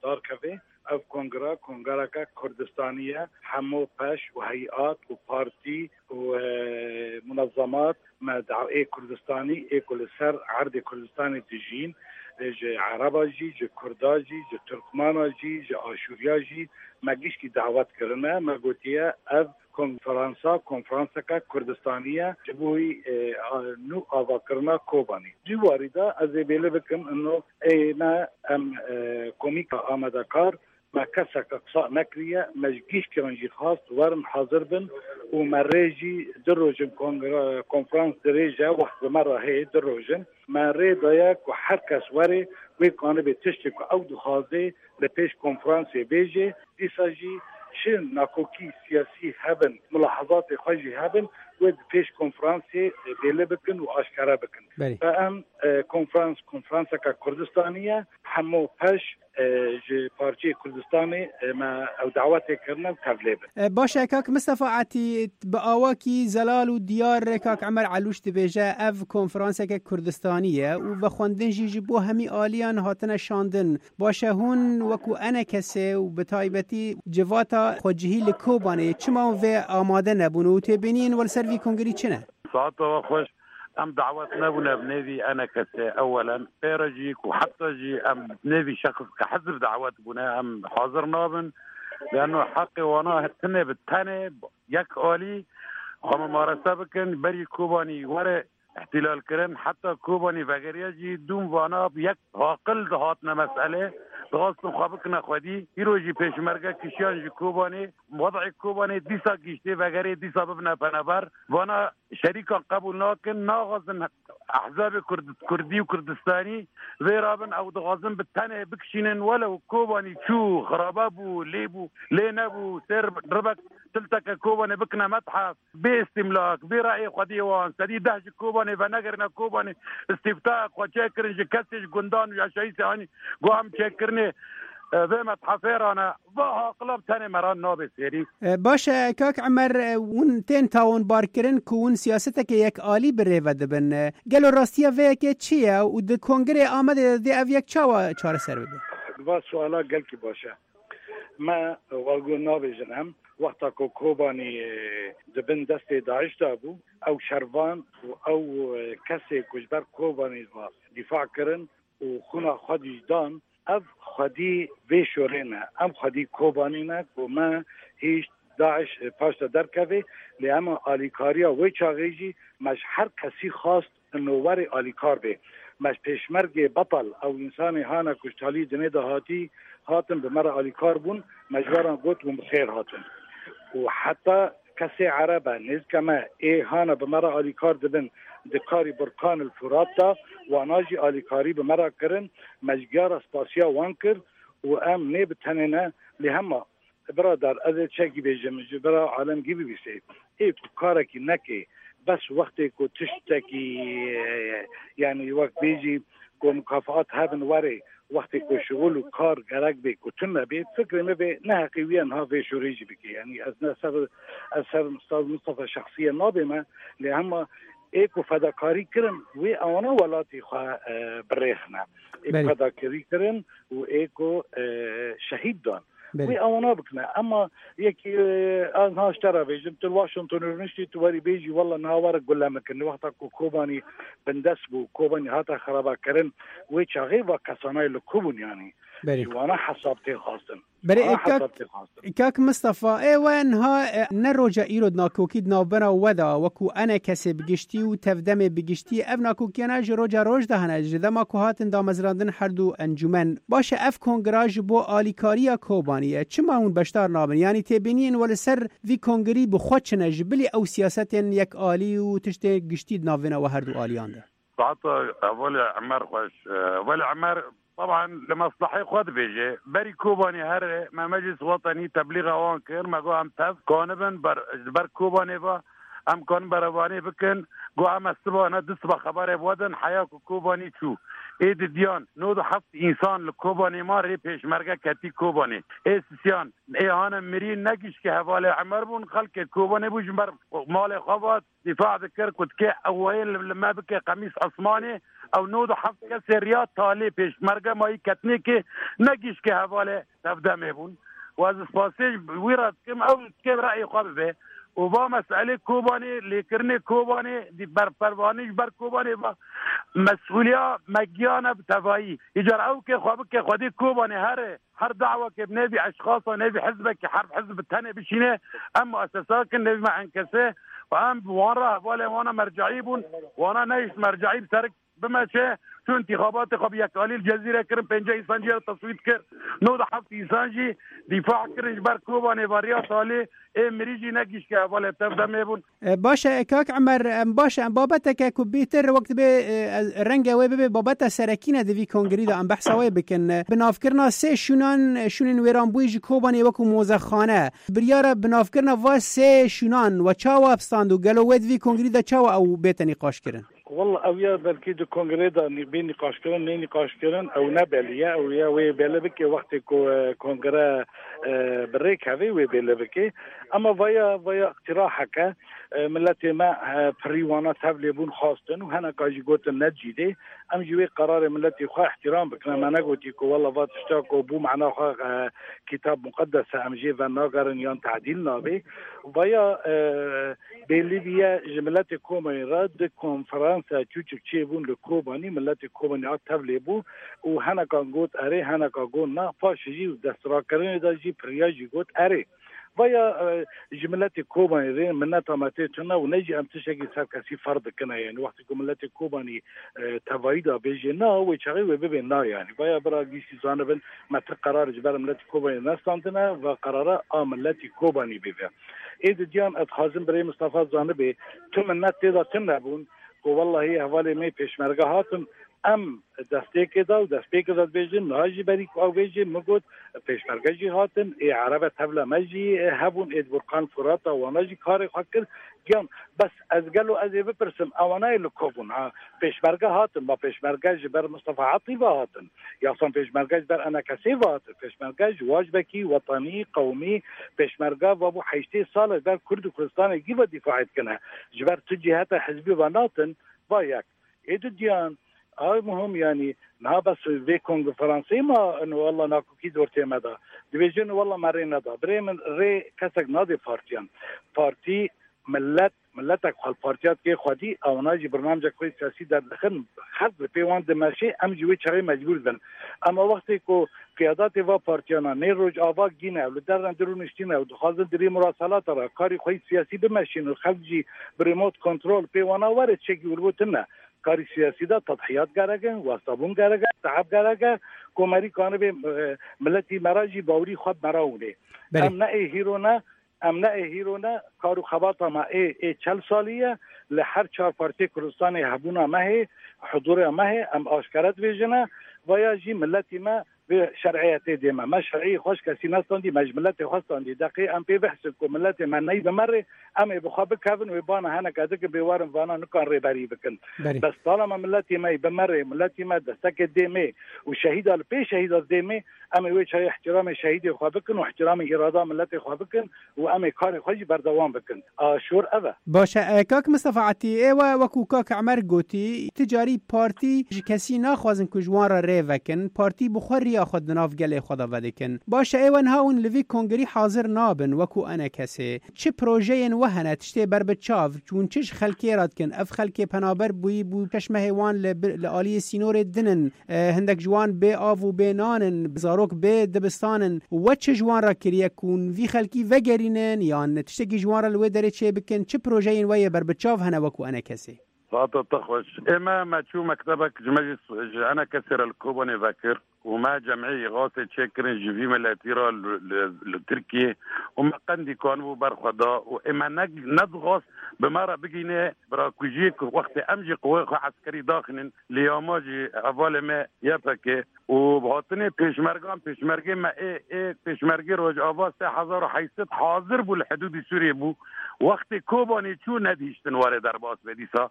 dar keve. Ev kongra, kongareke Kurdistanî ye. Hemû peş û heyat û partî û e, munezemat me da-, ê Kurdistanî, ê ku li ser erdê Kurdistanê dijîn, e, ji Ereba jî, ji Kurda jî, ji Turkmana jî, ji Aşûriya jî me giştî dawet kirine. Me gotiye ev konferansa, konferanseke Kurdistanî ye. Ji bo wî, e, a, nû avakirina Kobanî. Di warî de ez ê bêli bikim, ino ê me em, e, komîka amadekar, me keseke qisa nekiriye, me ji giştiyan jî xwest werin hazir bin û me rê jî du rojin kongre, konferans dirêj e, wext bi me re heye du rojin. Me rê daye ku her kes were, wê kanibe tiştê ku ew dixwaze li pêş konferansê bêje, dîsa jî çi nakokî siyasî hebin, mulahazatê xwe jî hebin, wê di pêş konferansê bêle bikin û aşkere bikin. Belê. Em, e, konferans, konferanseke Kurdistanî ye, hemû peş, e, ji parçeyê Kurdistanê, e, me ew dawetê kirine û tevlê bin. E, baş e, kak Mistefa Etî, bi awakî zelal û diyar kak Emer Elûş dibêje, ev konferanseke Kurdistanî ye û vexwendin jî ji bo hemî aliyan hatine şandin. Baş e, hûn wekû enekesê û bi taybetî civata xwecihî li Kobanê, çima hûn vê amade nebûn û têbîniyên we li ser vî kongrî çi ne? Saeta we xweş. Em dawet nebûne bi nêvî enekesê ewelen. Pê re jî ku heta jî em nêvî şexs ke hizb dawet bûne, em hazir nabin. Leno heqê wana tine bi tenê yek alî xwe mumarese bikin, berî Kobanî were îhtîlal kirin, heta Kobanî vegeriya jî dûm vana bi yek aqil dihatine meselê, dixwastin xwe bikine xwedî. Îro jî pêşmerge kişiyan ji Kobanê, wed'ê Kobanê dîsa giştê vegerê, dîsa bibine penaber. Vana şerîkan qebûl nakin, naxwazin ehzabê Kurd-, Kurdî û Kurdistanî vê rabin, ew dixwazin bi tenê bikişînin, welew Kobanî çû, xirabe bû, lê bû, lê nebû, sêr ribek tilteke Kobanê bikine methef, bê îstîmlak, bê reyê xwediyê wan, sedî deh ji Kobanê venegerine Kobanê, îstîftayek xwe çêkirin ji kesê ji gundan û yaşayîsê anî, got em çêkirinê, e, vê methefê re ne. Va aqila bi tenê me re nabe sêrî. E, baş e, kak Emer, e, hûn tên tawanbarkirin ku hûn siyaseteke yek alî bi rê ve dibin. E, gelo rastiya vê yekê çi ye û di kongrê Amedê de dê ev yek çawa çareser bibe? Va suala gelkî baş e. Me, e, wa got nabêjin em, wexta ku Kobanî, e, di bin destê DAIŞ de bû, ew şervan û ew, e, kesê ku ji ber Kobanî ve dîfa kirin û xwîna xwe jî dan, ev xwedî vê şorê ne. Em xwedî Kobanî ne ku me hişt DAIŞ paş de derkeve, lê em alîkariya wê çaxê jî me ji her kesî xwest ino werê alîkar bê. Me ji pêşmergê betal, ew însanê hane ku ji talî dinê de hatî, hatin bi me re alîkar bûn, me ji we re got hûn bi xêr hatin. Û heta kesê Ereb e, nêzîka me, ê hane bi me re alîkar dibin di karî Burkan el Furat de, wana jî alîkarî bi me re kirin, me ji giya re spasiya wan kir û em nê bi tenê ne, lê hema, biradar, ez ê çekî bêjim, ji bira alemgî bibîsê. Ê ku karekî neke, bes wextê ku tiştekî, e, yanî wek bêjî ku mukafaat hebin were, wextê ku şixul û kar gerek bê ku tune bê, fikrê me bê, neheqî wî niha vê şorê jî bike. Yanî ez ne ser, ez ser Ustaz Mustafa şexsiye nabême, lê hema ê ku fedakarî kirin, wê ewana welatê xwe, e, birêxine. Ê ku Belê. fedakarî kirin û ê ku, e, şehîd dan. Belê. Wê ewana bikine. Ema yekî, e, ez niha ji te re bêjim, tu li Washington rûniştî, tu werî bêjî, wela niha were gule min kirin. Wexta ku Kobanî bindest bû, Kobanî hate xerabekirin, wê çaxê va kesanayê li ku bûn yanî? Belê. Ji wana hesab tê xwestin. Berê Aa, e, kak, hesab tê xwestin. Kak Mistefa, ê we niha, e, ne roja îro di nakokî di navbera we de, wekû enekesê bi giştî û tevdemê bi giştî, ev nakokiyana ji roja roj de hene, ji dema ku hatin damezrandin her du encûmen. Baş e, ev kongra ji bo alîkariya Kobanî ye. Çima hûn beşdar nabin? Yanî têbîniyên we li ser vî kongrî bi xwe çi ne, ji bilî ew siyasetên yekalî û tiştê giştî di navbêna we her du aliyan de? Saeta hevalê Emer xweş. E, hevalê Emer, teban li meslehê xwe dibêje. Berî Kobanê here me meclis wetenî teblîxa wan kir. Me got em tev kanibin ber, ji ber Kobanê ve em kanin berevanê bikin. Got em ez siba ne du siba xeberê bi we din heya ku Kobanî çû. Ê didiyan nod û heft însan li Kobanê ma rê pêşmerge ketî Kobanê. Ê sisiyan ê hane mirî ne gişkê hevalê Emer bûn, xelkê Kobanê bû ji ber malê xwe vat, dîfa dikir ku dikê ew wayê li, li me bike qemîs esmanê, ew nod û heft kesê riya talê pêşmerge mayî ketnêkê ne gişkê hevalê tevdemê bûn. Û ez spasê wî re dikim, ew dikê reyê xwe bibe. Û va meselê Kobanê, lêkirinê Kobanê, di ber pervanî ji ber Kobanê va mesulîya me giyane bi tevayî. Îcar ew kê xwe bike xwedî Kobanê here, her dawakê bi nêvî eşxasa, nêvî hizbekî, her hizb bi tenê bişîne, em muesesa kin nêvî me enkese û em bi wan re hevalên wana merceî bûn, wana nehişt merceî bi ser bimeşe, çû întîxabatê xwe bi yekalî li Cezîre kirin, pêncî însan jî re teswît kir, nod û heft însan jî dîfa kirin ji ber Kobanê ve riya talê, ê mirî jî ne gişke hevalê tev demê bûn. E, baş e, kak Emer, em baş e, em babeteke ku bêtir wek dibê, e, ez, renge wê bibe babeta serekî ne di vî kongrî de em behsa wê bikin. E, binavkirina sê şûnan, e, şûnên wêranbûyî ji Kobanê wekû mozexane. Biryara binavkirina va sê şûnan we çawa stand û gelo wê di vî kongrî de çawa ew bête nîqaşkirin? Walla ew ya belkî di kongrê de nî-, bê nîqaşkirin, nê nîqaşkirin, ew ne belî ye. Ew ya wê belê bike wextê ku, e, kongre, e, bi rê kevê wê belê bike. Ema vaya, vaya îqtiraheke, e, miletê me, e, pirî wana tev lêbûn xwastin û heneka jî gotin ne cîdê. Em jî wê qerarê miletê xwe îhtîram bikin. Me negotî ku walla va tişta ku bû mana xwe, e, Kitab Muqeddes e, em jê venagerin yan tedîl nabe. Vaya, e, Bêlî bûye ji miletê Kobanê re di konferansa çûçik çêbûn li Kobanî, miletê Kobanî a tevlê bû û henekan got erê, heneka got na, paşê jî destirakirinê de jî piriya jî got erê. Vaya, e, ji miletê Kobanî rê mineta me tê tune û ne jî em tiştekî ser kesî ferz dikine. Yanî wextê ku miletê Kobanî, e, tevayî de bêjê na, wê çaxê wê bibê na yanî. Vaya bira giştî zanibin, me ti qerar ji ber miletê Kobanî nestandine, va qerara a miletê Kobanî bê ve. Ê didiyan ez dixwazim birê Mistefa zanibê, tu minnet tê de tune bûn ku wellahî hevalê me pêşmerge hatin, em destpêkê de û destpêkê de dibêjin, niha jî berî ku ew bêjê, min got, pêşmerge jî hatin, ê erebe tevle me jî hebûn, ê di Burkan Furata wana jî karê xwe kir. Giyan, bes ez gelo ez ê bipirsim, ewana yê li ku bûn? Ha, pêşmerge hatin, ma pêşmerge ji ber Mistefa Etî ve hatin? Yasan pêşmerge ji ber enekesê ve hatin? Pêşmerge ji wajbekî wetanî, qewmî, pêşmerge ve bû heştê sal e ji ber Kurd û Kurdistanê gî ve dîfaê dikine. Ji ber tu ciheta hizbî ve natin, va yek. Ê didiyan, a muhim yanî, niha bes vê konferansê ma, ino walla nakokî di ortê me de. Dibêjin walla me rê neda. Birê min rê kesek nadê partiyan. Partî, millet, milletek xwe li partiya dikê xwedî, ewana jî birnamcek xwe siyasî derdixin, xelk li pê wan dimeşê, em jî wê çaxê mecbûr dibin. Ema wextê ku qiyadatê va partiyana nê Rojava gîne ew li derren dirûniştîne û dixwazin dirê murasalata re karî xwe yî siyasî bimeşîn û xelk jî bi remote control pê wana were çekî û li bo tune. Karî siyasî de tedhiyat gerek in, westabûn gerek e, teeb gerek e, komerî kanibê, e, miletî me re jî bawerî xwe bi me re hûnê. Belê. Em ne ê hîro ne, em ne ê hîro ne, kar û xebata me ê, ê çel salî ye, li her çar partiyê Kurdistanê hebûna me hê, hudûrê me hê, em aşkere dibêjine, vaya jî miletî me vê şer'iyetê dê me. Me şer'iyê xwe ji kesî nestandî, me ji miletê xwe standî. Deqê em pê bihsin ku miletê me ney bi me rê, em ê bi xwe bikevin, wê bana heneke dikin, bê werin vana nikan rêberî bikin. Belê. Bes talama miletê me yê bi me rê, miletê me destekê dê me û şehîda li pê şehîda dê me, em ê wê çayê ihtiramê şehîdê xwe bikin û ihtiramê îrada miletê xwe bikin û em ê karê xwe jî berdewam bikin. A şor ev e. Baş e, e, kak Mistefa Etî, ê we wekû kak Emer gotî, ti carî partî ji kesî naxwazin ku ji wan re rê vekin, partî bi xwe riya xwe di nav gelê xwe de vedikin. Baş e, ê we niha hûn li vî kongrî hazir nabin wekû enekesê. Çi projeyên we hene, tiştê ber bi çav, hûn çi ji xelkê re dikin? Ev xelkê penaber bûyî bû şeş mehê wan li bir, li aliyê sînorê din in. E, hindek ji wan bê av û bê nan in, zarok bê dibistan in. We çi ji wan re kiriye ku hûn vî xelkî vegerînin yan tiştekî ji wan re li wê derê çê bikin? Çi projeyên we yê berbiçav hene wekû enekesê? Saeta te xweş. Ê me, me çû mektebek ji me jî s-, ji enekesê re li Kobanê vekir û me cemê îxasê çêkirin ji vî miletî re li, li, li Tirkiyê û me qendî kanibû ber xwe da û ê me ne, nedixwast bi me re bigîne birakujiyê ku wextê em jî qewê xwe eskerî daxînin, lê ya ma jî hevalê me Y P G û bi hatinê pêşmergan, pêşmergê me ê, ê pêşmergê Rojava sê hezar û heyt sed hazir bû, li hidûdî Sûriyê bû. Wextê Kobanê çû nedihiştin warê derbas be dîsa.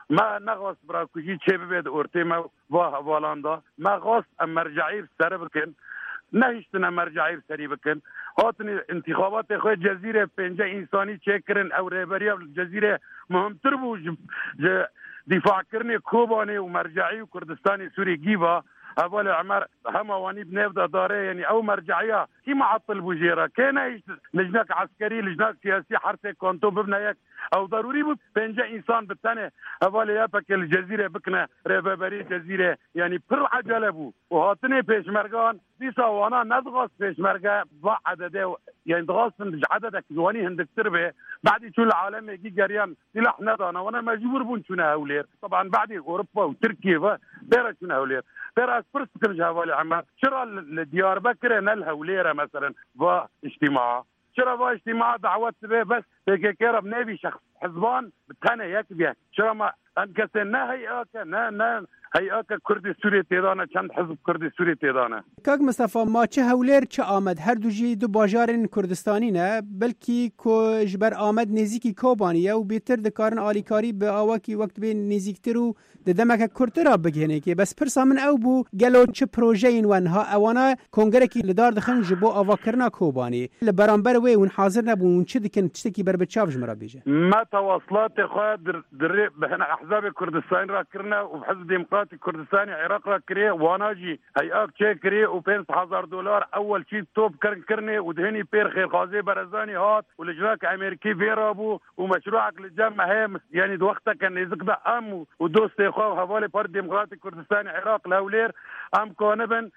Me nexwest birakujî çêbibe di ortê me va hevalan de. Me xwest em merceî bi serî bikin. Nehiştine merceî bi serî bikin. Hatinê intixabatê xwe Cezîrê pênce însanî çêkirin. Ew rêberiya li Cezîrê muhimtir bû ji, ji dîfakirinê Kobanê û merceî û Kurdistanê Sûrî gîva. Hevalê Emer hema wanî bi nêv de dare, yanî ew merceîya kî muatil bû jê re? Kê nehişt lijnek eskerî, lijnek siyasî her sê kanton bibine yek? Ew darûrî bû pênce însan bi tenê hevalê Y P G li Cezîrê bikine rêveberî Cezîrê. Yanî pir ecele bû. Û hatinê pêşmergan dîsa wana nedixwast pêşmerge va ededê, yanî dixwastin ji ededek ji wanî hindiktir bê. Badî çûn li alemê gî geriyan sîlah nedana. Wana mecbûr bûn çûne Hewlêr. Teban badî Ewropa û Tirkiye ve pêre çûne Hewlêr. Pêre ez pirs dikim ji hevalê Emer. Çira li, li Diyarbekirê ne li Hewlêr e meselen va îctîmaa? Çira va îctîmaa dawet dibe bes P K K re bi nêvî şexs hizban bi tenê yek biye? Çira me em kesê ne hey'a ke, ne, ne hey'a ke Kurdê Sûriyê têda ne, çend hizb Kurdê Sûriyê têda ne? Kak Mistefa, ma çi Hewlêr çi Amed, her du jî du bajarên Kurdistanî ne, belkî ku ji ber Amed nêzîkî Kobanî ye û bêtir dikarin alîkarî bi awakî wek dibê nêzîktir û di demeke kurtir a bigihêne kê. Bes pirsa min ew bû, gelo çi projeyên we niha ewana kongerekî li dar dixin ji bo avakirina Kobanê? Li beramber wê hûn hazir nebûn, hûn çi dikin, tiştekî berbiçav ji min re bêje. Me tewasilatê xwe dir-, dirê bi hene ehzabê Kurdistanî re kirine û bi Hizb Demokratîk Kurdistanê Iraq re kiriye, wana jî hey'ak çêkiriye û pênc hezar dolar ewel çî top kirin kirinê û di hinî pêr Xêrxwazê Berezanî hat û li jinaka Amerîkî vê rabû û meşruek li cem me heye, yanî di wexteke nêzik de em û, û dostê xwe û hevalê Partî Demokratîk Kurdistanê Iraq li Hewlêr em kanibin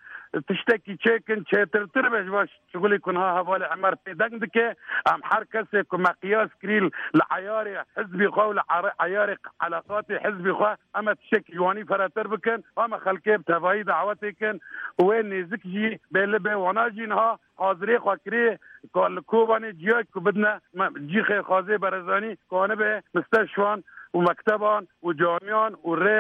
tiştekî çêkin, çêtirtir be ji van şixulê ku niha hevalê Emer pê deng dike. Em her kesê ku me qiyas kirî li eyarê hizbî xwe û li are-, eyarê eleqatê hizbî xwe em ê tiştekî ji wanî feretir bikin. Em ê xelkê bi tevayî dawetê kin û wê nêzik jî bê li bê wana jî niha hazirê xwe kirê ku li Kobanê ciyayek ku bidine me, cî Xêrxwazê Berezanî kanibe misteşfan û mekteban û camiyan û rê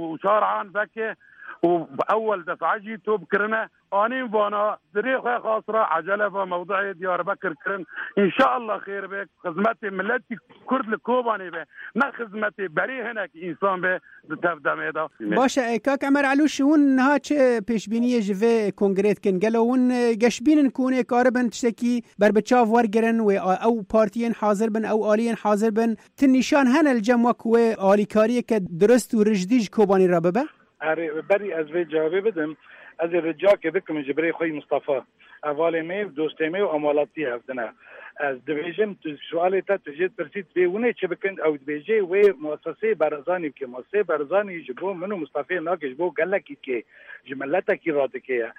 û şaran veke û ewel defa jî top kirine. Anîn vana dirê xwe xas re ecele ve mewduê Diyarbekir kirin. Înşallah xêr be, xizmetê miletî Kurd li Kobanê be, ne xizmetê berê hinek însan be di tev demê de. Baş e, kak Emer Elûş, hûn niha çi pêşbîniyê ji vê kongrê dikin? Gelo hûn, e, geşbîn in ku hûn ê karibin tiştekî berbiçav wergirin, wê a-, ew partiyên hazir bin, ew aliyên hazir bin? Ti nîşan hene li cem we ku wê alîkariyeke dirust û rijdî ji Kobanî re bibe? Erê, berî ez vê cevabê bidim, ez ê ricakê bikim ji birê xwe yî Mistefa. Hevalê me, dostê me û em welatiyê hev din e. Ez dibêjim, tu sualê te tu jê dipirsî, divê hûn ê çi bikin? Ew dibêje, wê mueseseyê Barzanî bike. Mueseseyê Barzanî ji bo min û Mistefayê nake, ji bo gelekî dike, ji miletekî re dike ye.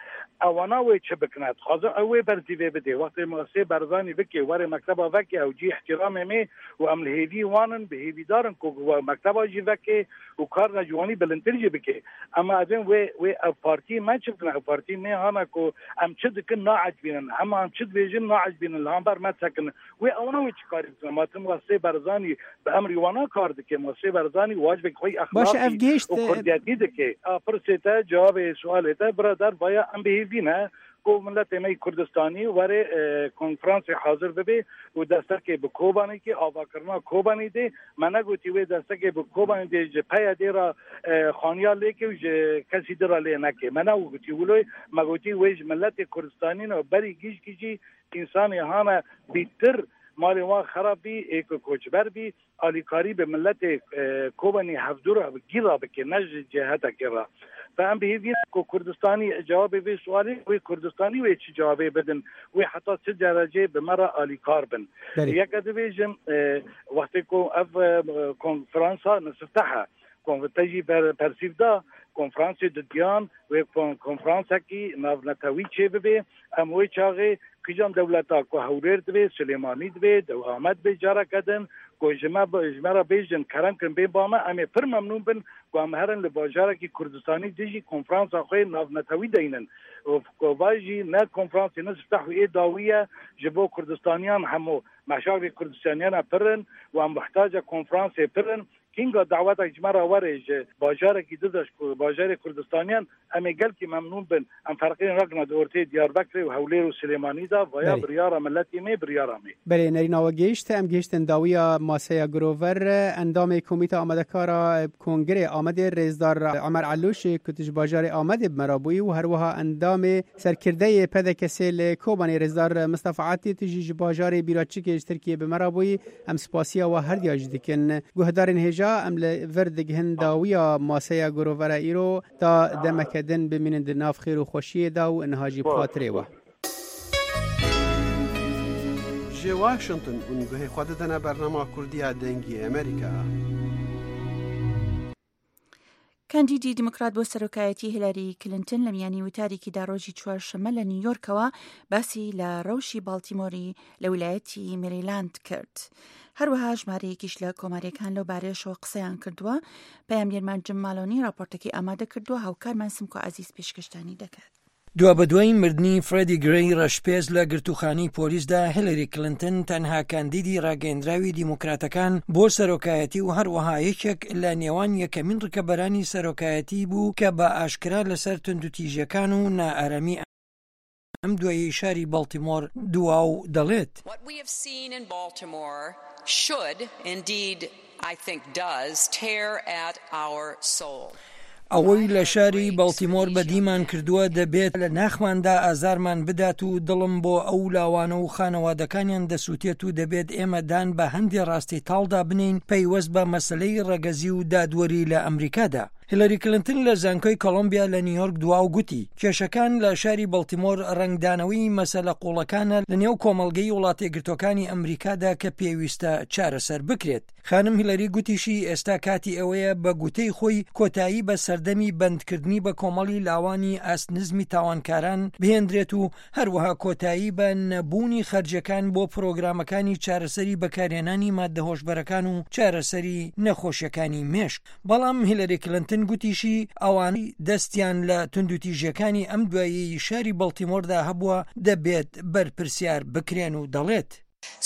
Ewana wê çi bikine? Dixwazin ew wê berzî vê bidê. Wextê mueseseyê Barzanî bike, were mekteba veke, ew cî îhtîramê me û em li hêvî wan in, bi hêvîdar in ku mekteba jî veke û karina ji wanî bilindtir jî bike. Ema evên wê, wê ev partiyê me çi bikine? Ev partiyê me hana ku em çi dikin naecibînin. Hema em çi dibêjin naecibînin. Li hember me sekinin. Wê ewana wê çi karî bikin? Ma tim Mesê Barzanî bi emrî wana kar dike. Mesê Barzanî wacibek xwe Baş e, ev exlaqî gihişt, û e, kurdiyetî dike. A pirsê te, cevabê sualê te, birader, vaya em bi hêvî ne ku miletê me yî Kurdistanî were, e, konferansê hazir bibe û destekê bi Kobanê ke, avakirina Kobanê dê. Me negotî wê destekê bi Kobanê dê ji P Y D re, e, xaniya lêke û ji kesî din re lê neke. Me negotî wilo, me gotî wê ji miletê Kurdistanî ne, berî gişkî jî însanê hane bîtir, malê wan xerab bî, ê ku koçber bî, alîkarî bi miletê, e, Kobanî hevdû re, gî re bike, ne ji cêhetekê re. Ve em bi hêvî ne ku Kurdistanî cewabê vê sualê, wê Kurdistanî wê çi cewabê bidin, wê heta çi dereceyê bi me re alîkar bin. Belê. Yeke dibêjim, e, wextê ku ev, e, konferansa nisifteh e, kon-, te jî per-, persîv da, konferansê didiyan, wê kon-, konferansekî navnetewî çêbibe, em wê çaxê kîjan dewleta ku Hewlêr dibe, Silêmanî dibe, Dew Amed dibe, careke din, ku ji me bi-, ji me re bêjin, kerem kin, bên ba me, em ê pir memnûn bin, ku em herin li bajarekî Kurdistanî dijî konferansa xwe navnetewî deynin. Û ku va jî ne konferansê ne sifteh û ê dawî ye, ji bo Kurdistaniyan hemû meşakilê Kurdistaniyan pir in û em muhtaca konferansê pir in. Hînga dawetek ji me re were ji bajarekî din de ji ku-, bajarê Kurdistaniyan, em ê gelkî memnûn bin. Em ferqiyên ragna di ortê Diyarbekirê û Hewlêr û Silêmanî de, vaya Belê. biryara miletê me, biryara me. Belê, nerîna we gihişt, em gihiştin dawiya maseya Grover, endamê Komîta Amadekara Kongrê Amedê Rêzdar Emer Elûşê ku tu ji bajarê Amedê bi me re bûyî û herwiha endamê serkirdeyê P D K S li Kobanê Rêzdar Mistefa Atî, tu jî ji bajarê Bîraçikê ji Tirkiyê bi me re bûyî. Em spasiya we herdiya jî dikin. Guhdarên hêja, em li vir digihin dawiya maseya Grover îro, ta demeke din bimînin di nav xêr û xweşiyê de û niha jî bi xatirê we. Ji Washington hûn guhê xwe didine bernama Kurdiya Dengê Amerîka. کاندیدی دیموکرات بۆ سەرۆکایەتی هیلاری کلینتن لە میانی وتارێکیدا ڕۆژی چوارشەممە لە نیویۆرکەوە باسی لە ڕەوشی باڵتیمۆری لە ویلایەتی مێریلاند کرد. هەروەها ژمارەیەکیش لە کۆماریەکان لەو بارەیەشەوە قسەیان کردووە. پەیامنێرمان جم مالۆنی راپۆرتەکەی ئامادە کردووە، هاوکارمان سمکۆ عەزیز پێشکەشتانی دەکات. دوابەدوای مردنی فرێدی گرەی ڕەشپێست لە گرتووخانەی پۆلیسدا، هیلاری کلینتن تەنها کاندیدی ڕاگەیەندراوی دیموکراتەکان بۆ سەرۆکایەتی و هەروەها یەکێک لە نێوان یەکەمین ڕکەبەرانی سەرۆکایەتی بوو کە بە ئاشکرا لەسەر توندوتیژیەکان و نائارامی ئەم دواییەی شاری باڵتیمۆر دوا و دەڵێت: What we have seen in Baltimore should, indeed, I think does, tear at our soul. ئەوەی لە شاری باڵتیمۆر بەدیمان کردووە دەبێت لە ناخماندا ئازارمان بدات و دڵم بۆ ئەو لاوانە و خانەوادەکانیان دەسووتێت و دەبێت ئێمە دان بە هەندێ ڕاستی تاڵدا بنین پەیوەست بە مەسلەی ڕەگەزی و دادوەری لە ئەمریکادا. هیلاری کلینتن لە زانکۆی کۆلۆمبیا لە نیویۆرک دوا و گوتی، کێشەکان لە شاری باڵتیمۆر ڕەنگدانەوەی مەسەلە قوڵەکانە لە نێو کۆمەڵگەی وڵاتە یەکگرتووەکانی ئەمریکادا کە پێویستە چارەسەر بکرێت. خانم هیلاری گوتیشی ئێستا کاتی ئەوەیە بە گوتەی خۆی کۆتایی بە سەردەمی بەندکردنی بە کۆمەڵی لاوانی ئاست نزمی تاوانکاران بهێندرێت و هەروەها کۆتایی بە نەبوونی خەرجەکان بۆ پرۆگرامەکانی چارەسەری بەکارهێنانی مادە هۆشبەرەکان و چارەسەری نەخۆشیەکانی مێشک. بەڵام هیلاری کلینتن گوتیشی ئەوانەی دەستیان لە توندوتیژیەکانی ئەم دواییەی شاری باڵتیمۆردا هەبووە دەبێت بەرپرسیار بکرێن و دەڵێت: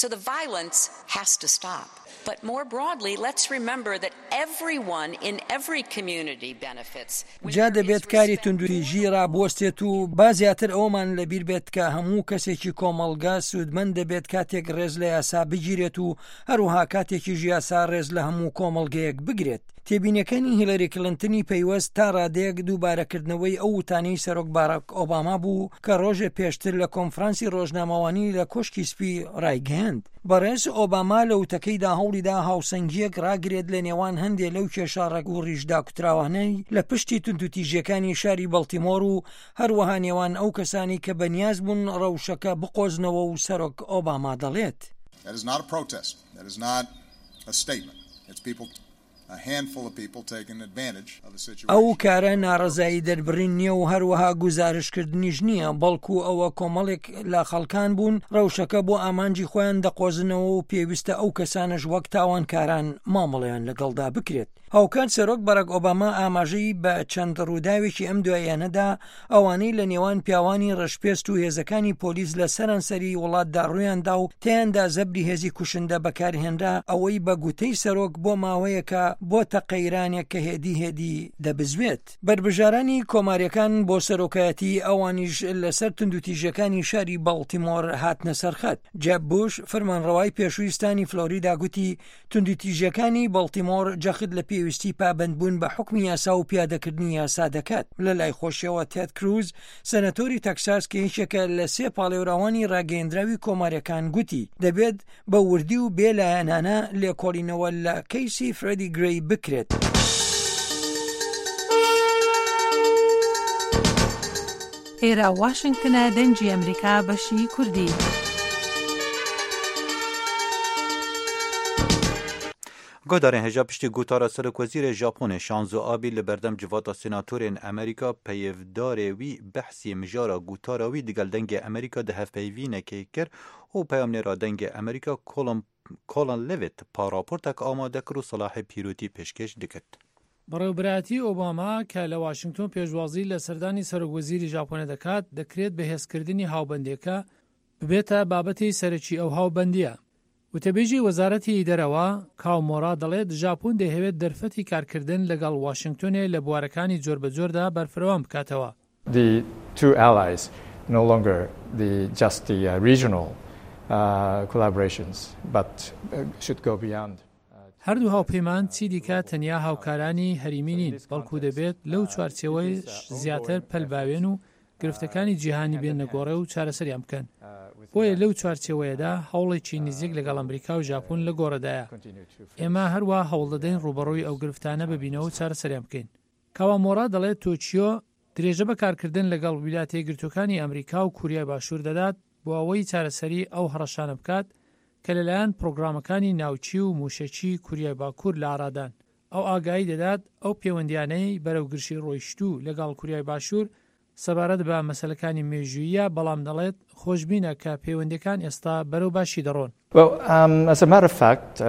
So the violence has to stop. But more broadly, let's remember that everyone in every community benefits. جا دەبێت کاری توندوتیژی ڕابوەستێت و با زیاتر ئەوەمان لەبیر بێت کە هەموو کەسێکی کۆمەڵگا سوودمەند دەبێت کاتێک ڕێز لە یاسا بگیرێت و هەروەها کاتێکیش یاسا ڕێز لە هەموو کۆمەڵگەیەک بگرێت. تێبینیەکانی هیلاری کلینتنی پەیوەست تا ڕادەیەک دووبارەکردنەوەی ئەو وتانەی سەرۆک باراک ئۆباما بوو کە ڕۆژێ پێشتر لە کۆنفرانسی ڕۆژنامەوانی لە کۆشکی سپی ڕایگەیاند. بەڕێز ئۆباما لە وتەکەیدا هەوڵیدا هاوسەنگیەک ڕاگرێت لە نێوان هەندێک لەو کێشە ڕەگ و ڕیشدا کوتراوانەی لە پشتی توندوتیژیەکانی شاری بەڵتیمۆر و هەروەها نێوان ئەو کەسانی کە بەنیاز بوون ڕەوشەکە بقۆزنەوە و سەرۆک ئۆباما دەڵێت. That is not a protest. That is not a statement. It's people, a handful of people taking advantage of the situation. ئەو کارە ناڕەزایی دەربڕین نییە و هەروەها گوزارشکردنیش نییە، بەڵکو ئەوە کۆمەڵێک لە خەڵکان بوون ڕەوشەکە بۆ ئامانجی خۆیان دەقۆزنەوە و پێویستە ئەو کەسانەش وەک تاوانکاران مامەڵەیان لەگەڵدا بکرێت. هاوکات سەرۆک بەراک ئۆباما ئاماژەی بە چەند ڕووداوێکی ئەم دواییانەدا، ئەوانەی لە نێوان پیاوانی ڕەشپێست و هێزەکانی پۆلیس لە سەرانسەری وڵاتدا ڕوویاندا و تیاندا زەبری هێزی کوشندە بەکارهێنرا، ئەوەی بە گوتەی سەرۆک بۆ ماوەیەکە بۆتە قەیرانێک کە هێدی هێدی دەبزوێت. بەربژارانی کۆماریەکان بۆ سەرۆکایەتی ئەوانیش لەسەر توندوتیژەکانی شاری باڵتیمۆر هاتنە سەرخەت. جێب بوش، فەرمانڕەوای پێشووی ستانی فلۆریدا، گوتی، توندوتیژیەکانی بەڵتیمۆر جەخت لە پێویستی پابەندبوون بە حکمی یاسا و پیادەکردنی یاسا دەکات. لە لای خۆشیەوە تێد کروز، سەنەتۆری تەکساس کە یەکێکە لە سێ پاڵێوراوانی ڕاگەیەندراوی کۆماریەکان، گوتی، دەبێت بە وردی و بێ لایەنانە لێکۆڵینەوە لە کەیسی فرێدی گرەی بکرێت. ئێرە واشنگتنە، دەنگی ئەمریکا، بەشی کوردی. Guhdarên hêja, piştî gotara serokwezîrê Japonê Shinzo Abe li berdem civata senatorên Amerîka, peyivdarê wî behsî mijara gotara wî digel Dengê Amerîka di hevpeyvînekê kir û peyamnêra Dengê Amerîka Colin, Colin Levitt pa raportek amade kir û Selahê Pîrotî pêşkêş dikit. بەڕێوەبەرایەتی ئۆباما کە لە واشنگتۆن پێشوازی لە سەردانی سەرۆکوەزیری ژاپۆنە دەکات، دەکرێت بەهێزکردنی هاوبەندیەکە ببێتە بابەتی سەرەکی ئەو هاوبەندیە. وتەبێژی وەزارەتی دەرەوە، کاو مۆرا، دەڵێت ژاپۆن دەیهەوێت دەرفەتی کارکردن لەگەڵ واشنگتۆنێ لە بوارەکانی جۆربەجۆردا بەرفرەوان بکاتەوە. The two allies, no longer the, just the, uh, regional, uh, collaborations, but, uh, should go beyond. هەردوو هاوپەیمان چی دیکە تەنیا هاوکارانی هەریمی نین، بەڵکو دەبێت لەو چوارچێوەیەش زیاتر پەل باوێن و گرفتەکانی جیهانی بێنە گۆڕێ و چارەسەریان بکەن. بۆیە لەو چوارچێوەیەدا هەوڵێکی نزیک لەگەڵ ئەمریکا و ژاپۆن لە گۆڕێدایە. ئێمە هەروە هەوڵ دەدەین ڕوبەڕووی ئەو گرفتانە ببینەوە و چارەسەریان بکەین. کاوامۆرا دەڵێت تۆکیۆ درێژە بە کارکردن لەگەڵ ویلاتە یەکگرتووەکانی ئەمریکا و کوریای باشوور دەدات بۆ ئەوەی چارەسەری ئەو هەڕەشانە بکات کە لەلایەن پرۆگرامەکانی ناوچی و موشەکی کوریای باکوور لە ئارادان. ئەو ئاگایی دەدات ئەو پەیوەندیانەی بەرەو گرژی ڕۆیشتوو لەگەڵ کوریای باشوور سەبارەت بە مەسەلەکانی مێژوویە، بەڵام دەڵێت خۆشبینە کە پەیوەندیەکان ئێستا بەرەو باشی دەڕۆن. Well, um, as a matter of fact, uh,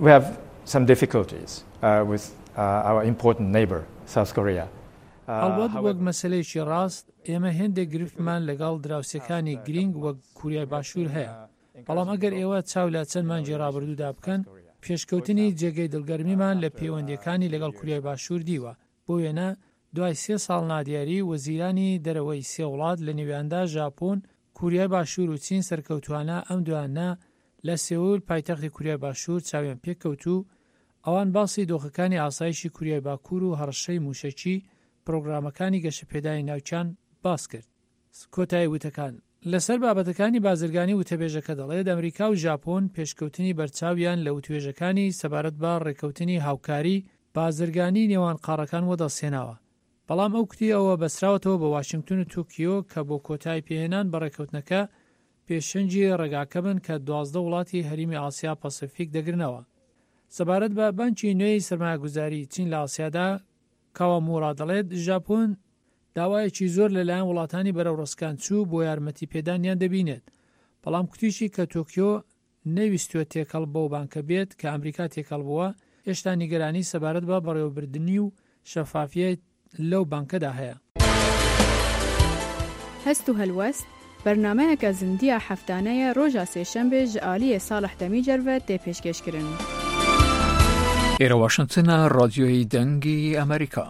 we have some difficulties, uh, with, uh, our important neighbor, South Korea. Uh, هەڵبەت، however, وەک مەسەلەیەکی ڕاست، ئێمە هێندێک گرفتمان لەگەڵ دراوسێکانی گرنگ وەک کوریای باشوور هەیە. بەڵام ئەگەر ئێوە چاو لە چەند مانگی ڕابردوودا بکەن، پێشکەوتنی جێگەی دڵگەرمیمان لە پەیوەندیەکانی لەگەڵ کوریای باشوور دیوە. بۆ وێنە، دوای سێ ساڵ نادیاری، وەزیرانی دەرەوەی سێ وڵات، لە نێویاندا ژاپۆن، کوریای باشوور و چین، سەرکەوتوانە ئەم دوانە لە سێول، پایتەختی کوریای باشوور، چاویان پێکەوت و ئەوان باسی دۆخەکانی ئاسایشی کوریای باکوور و هەڕەشەی موشەکی، پرۆگرامەکانی گەشەپێدانی ناوچان باس کرد. کۆتایی وتەکان. لەسەر بابەتەکانی بازرگانی، وتەبێژەکە دەڵێت ئەمریکا و ژاپۆن پێشکەوتنی بەرچاویان لە وتوێژەکانی سەبارەت بە ڕێکەوتنی هاوکاری بازرگانی نێوان قاڕەکان وەدەستهێناوە. بەڵام ئەو کوتی ئەوە بەسراوەتەوە بە واشنگتن و تۆکیۆ کە بۆ کۆتایی پێهێنان بە ڕێکەوتنەکە پێشەنگی ڕێگاکە بن کە دوازدە وڵاتی هەریمی ئاسیا پەسیفیک دەگرنەوە. سەبارەت بە بانکی نوێی سەرمایەگوزاری چین لە ئاسیادا، کاوامورا دەڵێت ژاپۆن داوایەکی زۆر لەلایەن وڵاتانی بەرەوڕسکان چوو بۆ یارمەتی پێدانیان دەبینێت، بەڵام کوتیشی کە تۆکیۆ نەویستووە تێکەڵ بەو بانکە بێت کە ئەمریکا تێکەڵ بووە، هێشتا نیگەرانی سەبارەت بە بەڕێوەبردنی و شەفافیەت لەو بانکەدا هەیە. هەست و هەلوەست، بەرنامەیەکە زندیە هەفتانەیە ڕۆژا سێشەمبێ ژە ئالیە ساڵح دەمی جەرڤەت دێ پێشکێشکردن. ئێرە واشنگتنە، ڕادیۆی دەنگی ئەمریکا.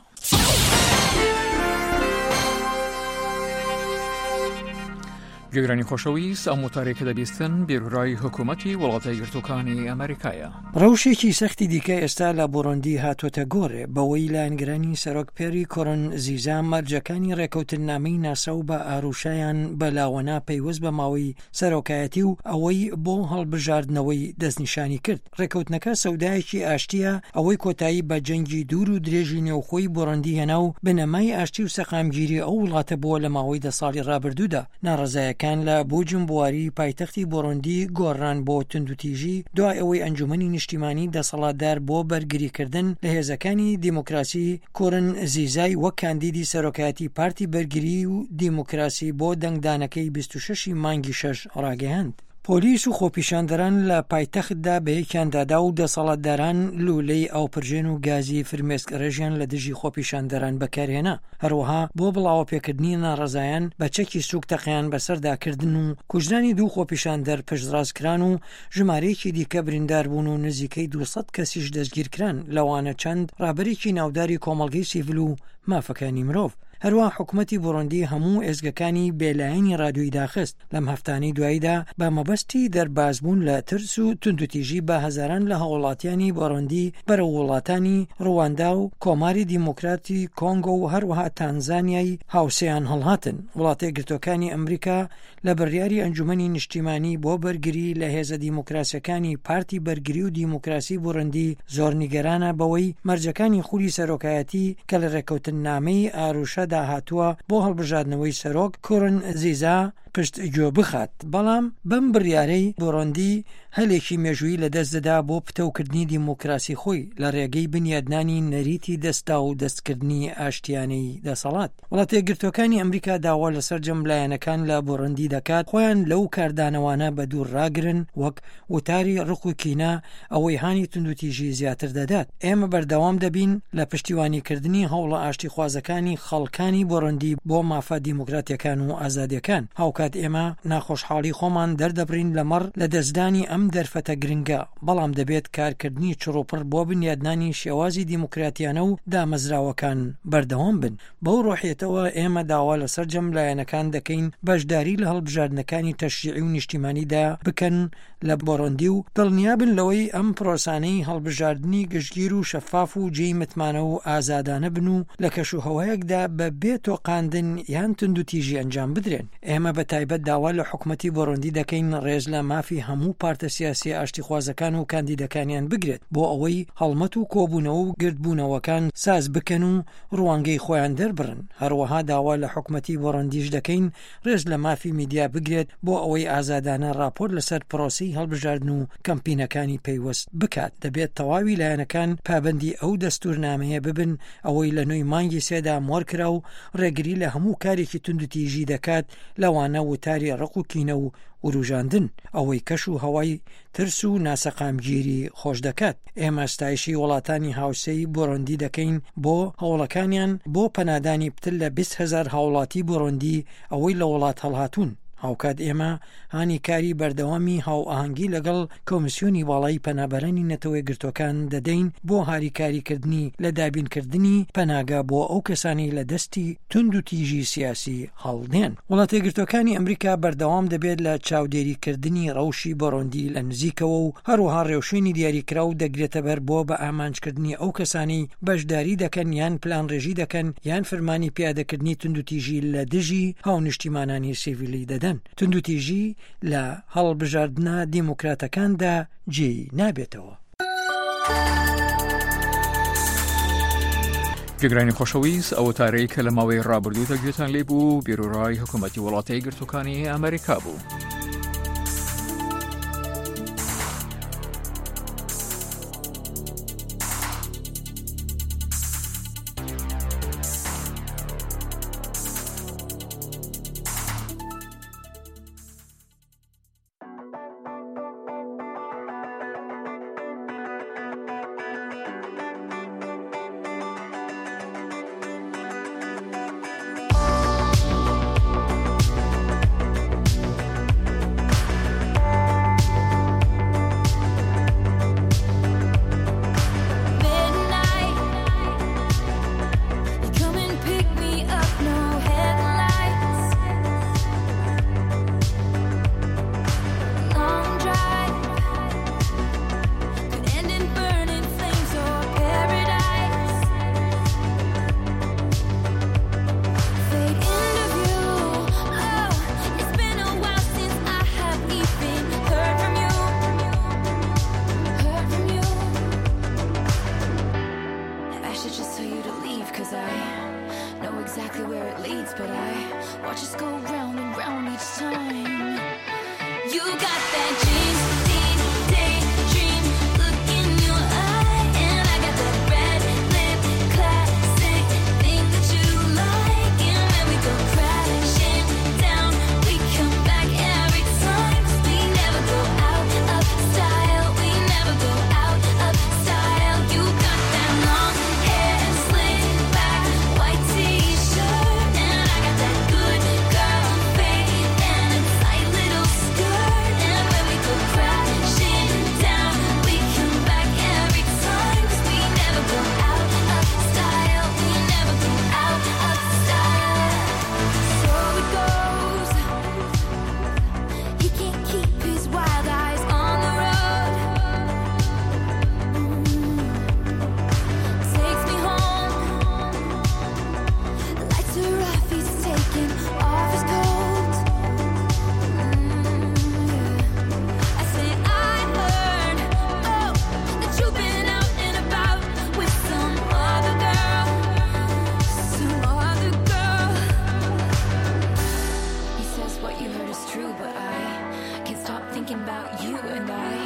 گوێگرانی خۆشەویست، ئەم وتارێکە دەبیستن بیرورای حکوومەتی وڵاتە یەکگرتووەکانی ئەمریکایە. ڕەوشێکی سەختی دیکە ئێستا لە بۆڕۆندی هاتۆتە گۆڕێ، بەوەی لایەنگرانی سەرۆک پێری کۆرن زیزا مەرجەکانی ڕێکەوتننامەی ناسا و بە ئاروشایان بەلاوەنا پەیوەست بە ماوەی سەرۆکایەتی و ئەوەی بۆ هەڵبژاردنەوەی دەستنیشانی کرد. ڕێکەوتنەکە سەودایەکی ئاشتیە، ئەوەی کۆتایی بە جەنگی دوور و درێژی نێوخۆی بۆڕەندی هێنا و بنەمای ئاشتی و سەقامگیری ئەو وڵاتە بووە لە ماوەی دە ساڵی ڕابردوودا. ناڕەزایەکان لە بوجمبواری پایتەختی بۆڕەندی گۆڕان بۆ توندوتیژی، دوای ئەوەی ئەنجومەنی نیشتیمانی دەسەڵاتدار بۆ بەرگریکردن لە هێزەکانی دیموکراسی کورن زیزای وەک کاندیدی سەرۆکایەتی پارتی بەرگری و دیموکراسی بۆ دەنگدانەکەی بیست و شەشی مانگی شەش ڕاگەیاند. پۆلیس و خۆپیشاندەران لە پایتەختدا بە یەکیان دادا و دەسەڵاتداران لوولەی ئاوپرژێن و گازی فرمێسک ڕێژیان لە دژی خۆپیشاندەران بەکارهێنا. هەروەها بۆ بڵاوەپێکردنی ناڕەزایان بە چەکی سووک تەقەیان بەسەردا کردن و کوژرانی دوو خۆپیشاندەر پشتڕاست کران و ژمارەیەکی دیکە بریندار بوون و نزیکەی دوو سەد کەسیش دەستگیر کران، لەوانە چەند ڕابەرێکی ناوداری کۆمەڵگەی سیڤل و مافەکانی مرۆڤ. هەروەها حکوومەتی بوڕندی هەموو ئێزگەکانی بێلایەنی ڕادیۆی داخست. لەم هەفتانەی دواییدا بە مەبەستی دەربازبوون لە ترس و توندوتیژی بە هەزاران لە هاوڵاتیانی بوڕندی بەرەو وڵاتانی ڕواندا و کۆماری دیموکراتی کۆنگۆ و هەروەها تانزانیای هاوسێیان هەڵهاتن. وڵاتە یەکگرتووەکانی ئەمریکا لە بڕیاری ئەنجومەنی نیشتیمانی بۆ بەرگری لە هێزە دیموکراسیەکانی پارتی بەرگری و دیموکراسی بوڕندی زۆر نیگەرانە بەوەی مەرجەکانی خولی سەرۆکایەتی کە لە ڕێکەوتن نامەی ئاروشەدا هاتووە بۆ هەڵبژاردنەوەی سەرۆک کورن زیزا پشت گوێ بخات. بەڵام بەم بڕیارەی بوڕندی هەلێکی مێژووی لەدەست دەدا بۆ پتەوکردنی دیموکراسی خۆی لە ڕێگەی بنیادنانی نەریتی دەستا و دەستکردنی ئاشتیانەی دەسەڵات. وڵاتە یەکگرتووەکانی ئەمریکا داوا لەسەر جەم لایەنەکان لە بوڕندی دەکات خۆیان لەو کاردانەوانە بە دوور ڕاگرن، وەک وتاری ڕق و کینە، ئەوەی هانی توندوتیژی زیاتر دەدات. ئێمە بەردەوام دەبین لە پشتیوانیکردنی هەوڵە ئاشتیخوازەکانی خەڵک کانی بۆرۆندی بۆ مافە دیموکراتیەکان و ئازادیەکان. هاوکات ئێمە ناخۆشحاڵی خۆمان دەردەبڕین لەمەڕ لە دەستدانی ئەم دەرفەتە گرنگە، بەڵام دەبێت کارکردنی چڕوپڕ بۆ بنیادنانی شێوازی دیموکراتیانە و دامەزراوەکان بەردەوام بن. بەو ڕۆحیەتەوە ئێمە داوا لە سەرجەم لایەنەکان دەکەین بەشداری لە هەڵبژاردنەکانی تەشریعی و نیشتیمانیدا بکەن لە بۆرۆندی و دڵنیا بن لەوەی ئەم پرۆسانەی هەڵبژاردنی گشتگیر و شەفاف و جێی متمانە و ئازادانە بن و لە کەش و هەوایەکدا بە بێ تۆقاندن یان توندوتیژی ئەنجام بدرێن. ئێمە بە تایبەت داوا لە حکومەتی بۆرۆندی دەکەین ڕێز لە مافی هەموو پارتە سیاسی ئاشتیخوازەکان و کاندیدەکانیان بگرێت، بۆ ئەوەی هەڵمەت و کۆبوونەوە و گردبوونەوەکان ساز بکەن و ڕوانگەی خۆیان دەربڕن. هەروەها داوا لە حکومەتی بۆرۆندیش دەکەین ڕێز لە مافی میدیا بگرێت، بۆ ئەوەی ئازادانە راپۆرت لەسەر پرۆسەی هەڵبژاردن و کەمپینەکانی پەیوەست بکات. دەبێت تەواوی لایەنەکان پابەندی ئەو دەستورنامەیە ببن، ئەوەی لە نۆی مانگی سێدا مۆر کرا و ڕێگری لە هەموو کارێکی توندوتیژی دەکات، لەوانە وتاری ڕق و کینە و وروژاندن، ئەوەی کەش و هەوای ترس و ناسەقامگیری خۆش دەکات. ئێمە ستایشی وڵاتانی هاوسێی بۆرۆندی دەکەین بۆ هەوڵەکانیان بۆ پەنادانی پتر لە بیست هەزار هاوڵاتی بۆرۆندی ئەوەی لە وڵات هەڵهاتوون. هاوکات ئێمە هانی کاری بەردەوامی هاوئاهەنگی لەگەڵ کۆمیسیۆنی باڵای پەنابەرانی نەتەوە یەکگرتوەکان دەدەین بۆ هاریکاریکردنی لە دابینکردنی پەناگا بۆ ئەو کەسانی لە دەستی توندوتیژی سیاسی هەڵدێن. وڵاتە یەکگرتوەکانی ئەمریکا بەردەوام دەبێت لە چاودێریکردنی ڕەوشی بۆرۆندی لە نزیکەوە و هەروەها ڕێوشوێنی دیاریکراو دەگرێتە بەر بۆ بە ئامانجکردنی ئەو کەسانەی بەشداری دەکەن یان پلانڕێژی دەکەن یان فرمانی پیادەکردنی توندوتیژی لە دژی هاونیشتیمانانی سیڤیلی دەدەن. توندوتیژی لە هەڵبژاردنە دیموکراتەکاندا جێی نابێتەوە. گوێگرانی خۆشەویست، ئەو وتارەی کە لە ماوەی ڕابردوودا گوێتان لێ بوو، بیرۆڕای حکوومەتی وڵاتە یەکگرتووەکانی ئەمریکا بوو. Midnight, you come and pick me up, no headlights. Long drive could end in burning flames or paradise. Fade into view. Oh, it's been a while since I have even heard from you. Heard from you. I should just tell you to leave, 'cause I know exactly where it leads, but I watch us go round and round each time. You got that dream, deep daydream look in your eye, and I got that red lip classic thing that you like. And when we go crashing down, we come back every time. 'Cause we never go out of style, we never go out of style. You got that long hair slick back, white t-shirt, and I got that good girl fade and a tight little skirt. And when we go crashing down, we come back every time. 'Cause we never go out of style, we never go out of style. So it goes. He can't keep his wild eyes on the road. Mm. Takes me home. Lights are off, he's taking off his coat. Mm, yeah. I say I heard, oh, that you've been out and about with some other girl, some other girl. He says what you heard is true, but I can't stop thinking about you and I.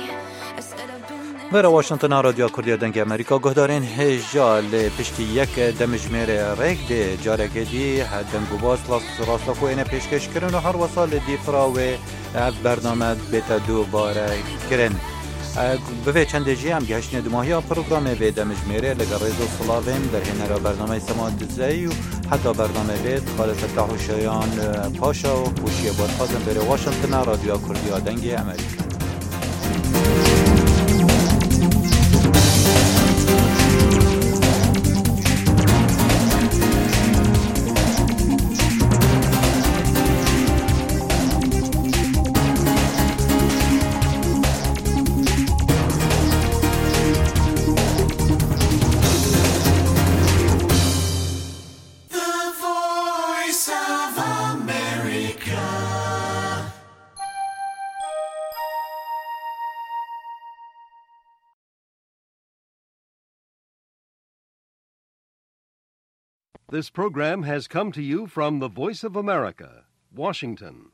I said I've been there. Vera Washington a Radyoya Kurdiya Dengê Amerîka guhdarên hêja li piştî yek demjimêrê rêk dê careke dî he deng û baz rast, rastexo êne pêşkêş kirin û her wesa li dîfra wê ev bername bête dubare kirin. Bi vê çendê jî em gihiştine dumahiya programê vê demjimêrê. Li gel rêz û silavên derhênera bernameyê Sema Dizeyî û heta bernamê vê Xalid Fetah û Şayan Paşa û xweşiyê bo dixwazin bêrê Washingtona Radyoya Kurdiya Dengê Amerîka. This program has come to you from the Voice of America, Washington.